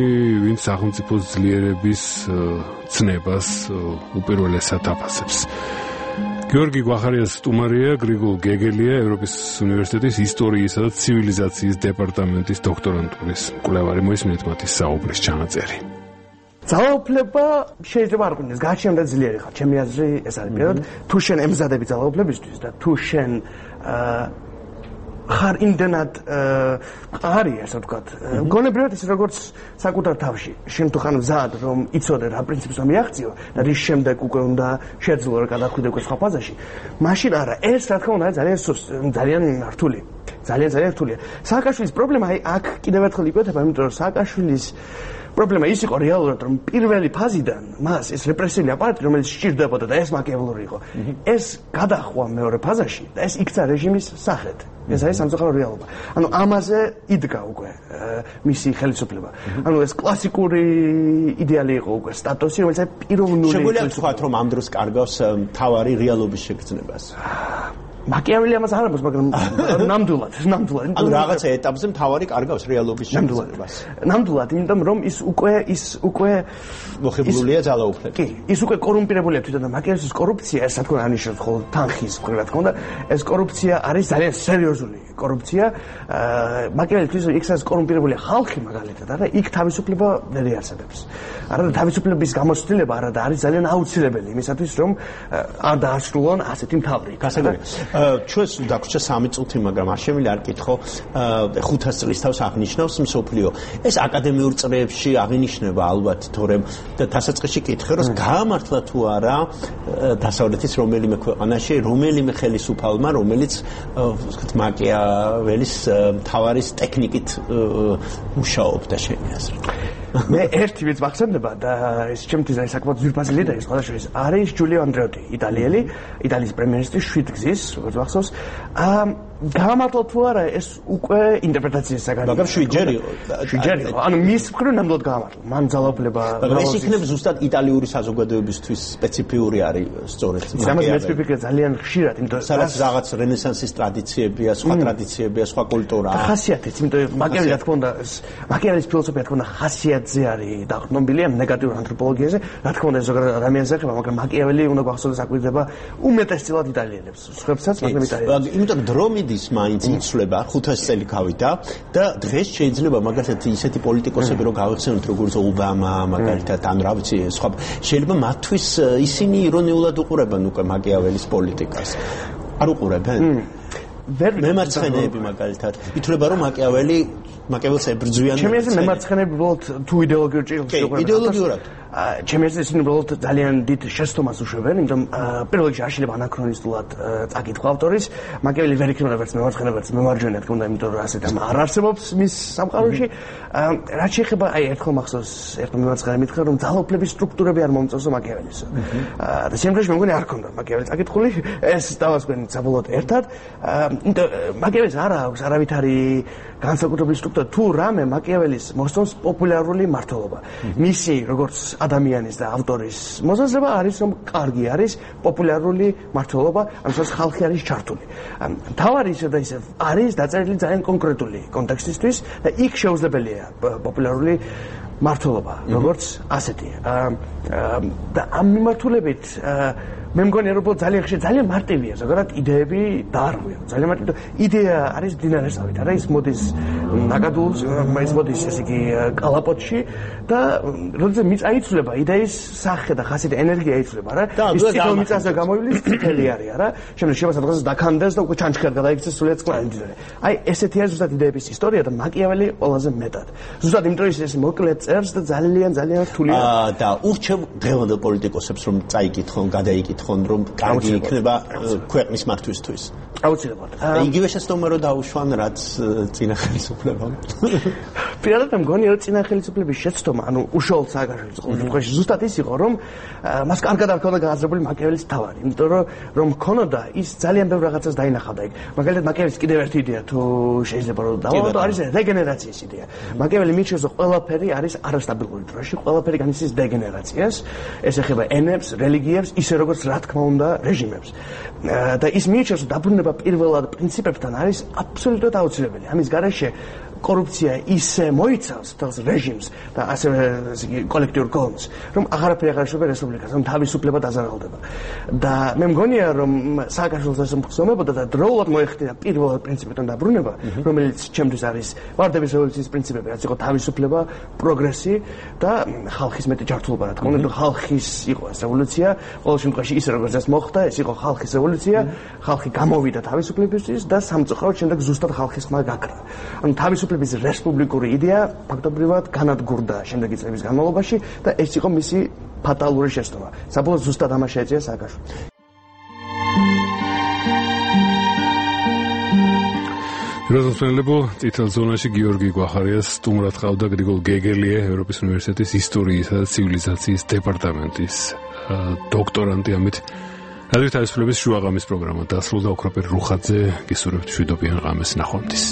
ვინც სახელმწიფოს ძლიერების ცნებას უპირველესად აფასებს. გიორგი გვახარიას სტუმარია, გრიგოლ გეგელია, ევროპის უნივერსიტეტის ისტორიისა და ცივილიზაციის დეპარტამენტის დოქტორანტურის მკვლევარი. მოისმინეთ მათი საუბრის ჩანაწერი. ძალაუფლება შეიძლება არ ყოფილიყო, გააჩნდა ძლიერი ხარ. ჩემი აზრი ეს არის. პირველად, თუ შენ ემზადები ძალაუფლებისთვის და თუ შენ ხარ იმდენად მყარი, ასე ვთქვათ, გონებრივად ის როგორც საკუთარ თავში. შენ თუ ხარ მზად, რომ იცოდე რა პრინციპს რომ მიაღწიო და რის შემდეგ უკვე უნდა შეძლო რა გადახვიდე უკვე სხვა ფაზაში. მაშინ არა, ეს რა თქმა უნდა ძალიან ძალიან რთული. ძალიან ძალიან რთულია. სააკაშვილის პრობლემა აი აქ კიდევ ერთხელ იკვეთება, იმიტომ რომ სააკაშვილის პრობლემა ის იყო რეალურად, რომ პირველი ფაზიდან მას ეს რეპრესიული აპარატი, რომელიც სჭირდებოდა და ეს მაკიაველური იყო, ეს გადახვა მეორე ფაზაში და ეს იქცა რეჟიმის სახეთ. ეს არის სამწუხარო რეალობა. ანუ ამაზე იდგა უკვე მისი ხელისუფლება. ანუ ეს კლასიკური იდეალი იყო უკვე სტატუსი, რომელიც აი პიროვნული. შეგვიძლია ვთქვათ, რომ ამ დროს კარგავს მთავარი რეალობის შეგრძნებას. მაკიაველი ამას არ ამბობს, მაგრამ ნამდვილად, ნამდვილად. ანუ რაღაცა ეტაპზე მთავარი კარგავს რეალობის შეგრძნებას. ნამდვილად, იმიტომ რომ ის უკვე ის უკვე მოხიბლულია ძალაუფლებით. კი, ის უკვე კორუმპირებულია თვითონ და მაკიაველის კორუფცია, ეს რა თქმა უნდა ანიშნავს ხოლმე თანხის, რა თქმა უნდა, ეს კორუფცია არის ძალიან სერიოზული კორუფცია. მაკიაველი თვითონ იქაც კორუმპირებულია ხალხი მაგალითად, არა, იქ თავისუფლება ვერ იარსებებს. არა და თავისუფლების გამოცდილება არა და არის ძალიან აუცილებელი იმისათვის, რომ არ დაასრულონ ასეთი მთავრი. გასაგებია. ჩვენს დაგვრჩა სამი წუთი, მაგრამ არ შემიძლია არ კითხო, ხუთას წლის თავს აღნიშნავს მსოფლიო. ეს აკადემიურ წრეებში აღინიშნება ალბათ, თორემ დასაწყისში კითხე, რომ გაამართლა თუ არა დასავლეთის რომელიმე ქვეყანაში, რომელიმე ხელისუფალმა, რომელიც ვთქვათ მაკიაველის მთავარის ტექნიკით მუშაობდა შენი აზრით. მე ერთი ვიც მახსენდება და ეს ჩემთვის არის საკმაოდ ძვირფასი ლიდერი სხვა შორის არის ჯულიო ანდრეოტი, იტალიელი, იტალიის პრემიერ-მინისტრი შვიდ გზის, როგორც მახსოვს. გაამართლა თუ არა ეს უკვე ინტერპრეტაციის საგანი. მაგრამ შვიდჯერ იყო. შვიდჯერ იყო. ანუ მის მხრივ ნამდვილად გაამართლა. მან ძალაუფლება. მაგრამ ეს იქნება ზუსტად იტალიური საზოგადოებისთვის სპეციფიური არის სწორედ მაკიაველი. ამას მეცπიფიქრე ძალიან ხშირად, იმიტომ რომ სადაც რაღაც რენესანსის ტრადიციებია, სხვა ტრადიციებია, სხვა კულტურაა. ხასიათიც, იმიტომ რომ მაკიაველი რა თქმა უნდა, მაკიაველის ფილოსოფია რა თქმა უნდა ხასიათზე არის დაყრდნობილია ნეგატიურ ანთროპოლოგიაზე, რა თქმა უნდა ზოგადად ადამიანს ეხება, მაგრამ მაკიაველი უნდა გვახსოვდეს აკვირდება უმეტესწილად იტალიელებს, სხვებსაც, მაგრამ იტალიელებს. იმიტომ დრო მიდის მაინც იცვლება, ხუთასი წელი გავიდა და დღეს შეიძლება მაგალითად ისეთი პოლიტიკოსები რო გავიხსენოთ, როგორც ობამა, მაგალითად, ან რა ვიცი, სხვა შეიძლება მათთვის ისინი ირონიულად უყურებენ უკვე მაკიაველის პოლიტიკას. არ უყურებენ? მემარცხენეები მაგალითად ითვლება რომ მაკიაველი მაკიაველს ებრძვიან. ჩემი აზრით მემარცხენეები უბრალოდ თუ იდეოლოგიურ ჭრილს უყურებენ. იდეოლოგიურად. ჩემი აზრით ისინი უბრალოდ ძალიან დიდ შეცდომას უშვებენ, იმიტომ პირველ რიგში არ შეიძლება ანაქრონისტულად წაკითხვა ავტორის. მაკიაველი ვერ იქნება ვერც მემარცხენე, ვერც მემარჯვენე, თქო უნდა, იმიტომ რომ ასეთ არ არსებობს მის სამყაროში. რაც შეეხება, აი ერთხელ მახსოვს, ერთხელ მემარცხენე მითხრა, რომ ძალაუფლების სტრუქტურები არ მომწონსო მაკიაველის. და შემდგომში მე მგონი არ ქონდა მაკიაველი წაკითხული, ეს დავასკვენ საბოლოოდ ერთად. მაკიაველის არ აქვს არავითარი განსაკუთრებული სტრუქტურა, თუ რამე მაკიაველის მოსწონს პოპულარული მმართველობა. მისი როგორც ადამიანის და ავტორის მოსაზრება არის, რომ კარგი არის პოპულარული მმართველობა, ამას ხალხი არის ჩართული. თავარი ისე და ისე არის დაწერილი ძალიან კონკრეტული კონტექსტისთვის და იქ შეუძლებელია პოპულარული მმართველობა, როგორც ასეთი. და ამ მიმართულებით მე მგონი რომ ძალიან ხშირ ძალიან მარტივია ზოგადად იდეები დაარღვია. ძალიან მარტივი იდეა არის დინარესავით, არა ის მოდის ნაკადულს, ის მოდის ესე იგი კალაპოტში და როდესაც მიწა იცვლება, იდეის სახე და ხასიათი ენერგია იცვლება, რა. ის თითო მიწაზე გამოვლის წითელი არის, არა. შემდეგ შეიძლება სადღაც დაქანდეს და უკვე ჩანჩქერად გადაიქცეს სულიად წყალი. აი ესეთი არის ზუსტად იდეების ისტორია და მაკიაველი ყველაზე მეტად. ზუსტად იმიტომ ის ეს მოკლე წერს და ძალიან ძალიან რთულია. და ურჩევ დღევანდელ პოლიტიკოსებს რომ წაიკითხონ, გადაიკითხონ რომ კარგი იქნება ქვეყნის მართვისთვის. აუცილებლად. იგივე შეცდომა რომ დაუშვან რაც წინა ხელისუფლებამ. პირადად მგონი რომ წინა ხელისუფლების შეცდომა, ანუ უშუალოდ სააგაშვილის ყოველთვის ზუსტად ის იყო, რომ მას კარგად არ ჰქონდა გააზრებული მაკიაველის თავარი, იმიტომ რომ რომ ჰქონოდა ის ძალიან ბევრ რაღაცას დაინახავდა იქ. მაგალითად მაკიაველის კიდევ ერთი იდეა თუ შეიძლება რომ დავავადო არის რეგენერაციის იდეა. მაკიაველი მიჩნევს რომ ყველაფერი არის არასტაბილური დროში, ყველაფერი განიცდის დეგენერაციას, ეს ეხება ენებს, რელიგიებს, ისე როგორც რა თქმა უნდა რეჟიმებს. და ის მიჩნევს რომ დაბრუნება პირველად პრინციპებთან არის აბსოლუტურად აუცილებელი. ამის გარეშე კორუფცია ისე მოიცავს თავს რეჟიმს და ასევე კოლექტიურ გონს, რომ აღარაფერი აღარ შევა რესპუბლიკას, რომ თავისუფლება დაზარალდება. და მე მგონია, რომ სააკაშვილოს ასე მგზნობოდა და დროულად მოეხდინა პირველად პრინციპიდან დაბრუნება, რომელიც ჩემთვის არის ვარდების რევოლუციის პრინციპები, რაც იყო თავისუფლება, პროგრესი და ხალხის მეტი ჯართულობა, რა თქმა უნდა, ხალხის იყო ეს რევოლუცია, ყოველ შემთხვევაში ისე როგორც ეს მოხდა, ეს იყო ხალხის რევოლუცია, ხალხი გამოვიდა თავისუფლებისთვის და სამწუხაროდ შემდეგ ზუსტად ხალხის ხმა გაქრა. ანუ თავისუფლების რესპუბლიკური იდეა ფაქტობრივად განადგურდა შემდეგი წლების განმავლობაში და ეს იყო მისი ფატალური შეცდომა. საბოლოოდ ზუსტად ამას შეეწია სააკაშვილოს. როზენფელდებო წითელ ზონაში გიორგი გვახარიას სტუმრად ყავდა გრიგოლ გეგელია, ევროპის უნივერსიტეტის ისტორიისა და ცივილიზაციის დეპარტამენტის დოქტორანტი. ამით რადიო თავისუფლების შუაღამის პროგრამა დასრულდა. ოქროპერ რუხაძე გისურვებთ მშვიდობიან ღამეს, ნახვამდის.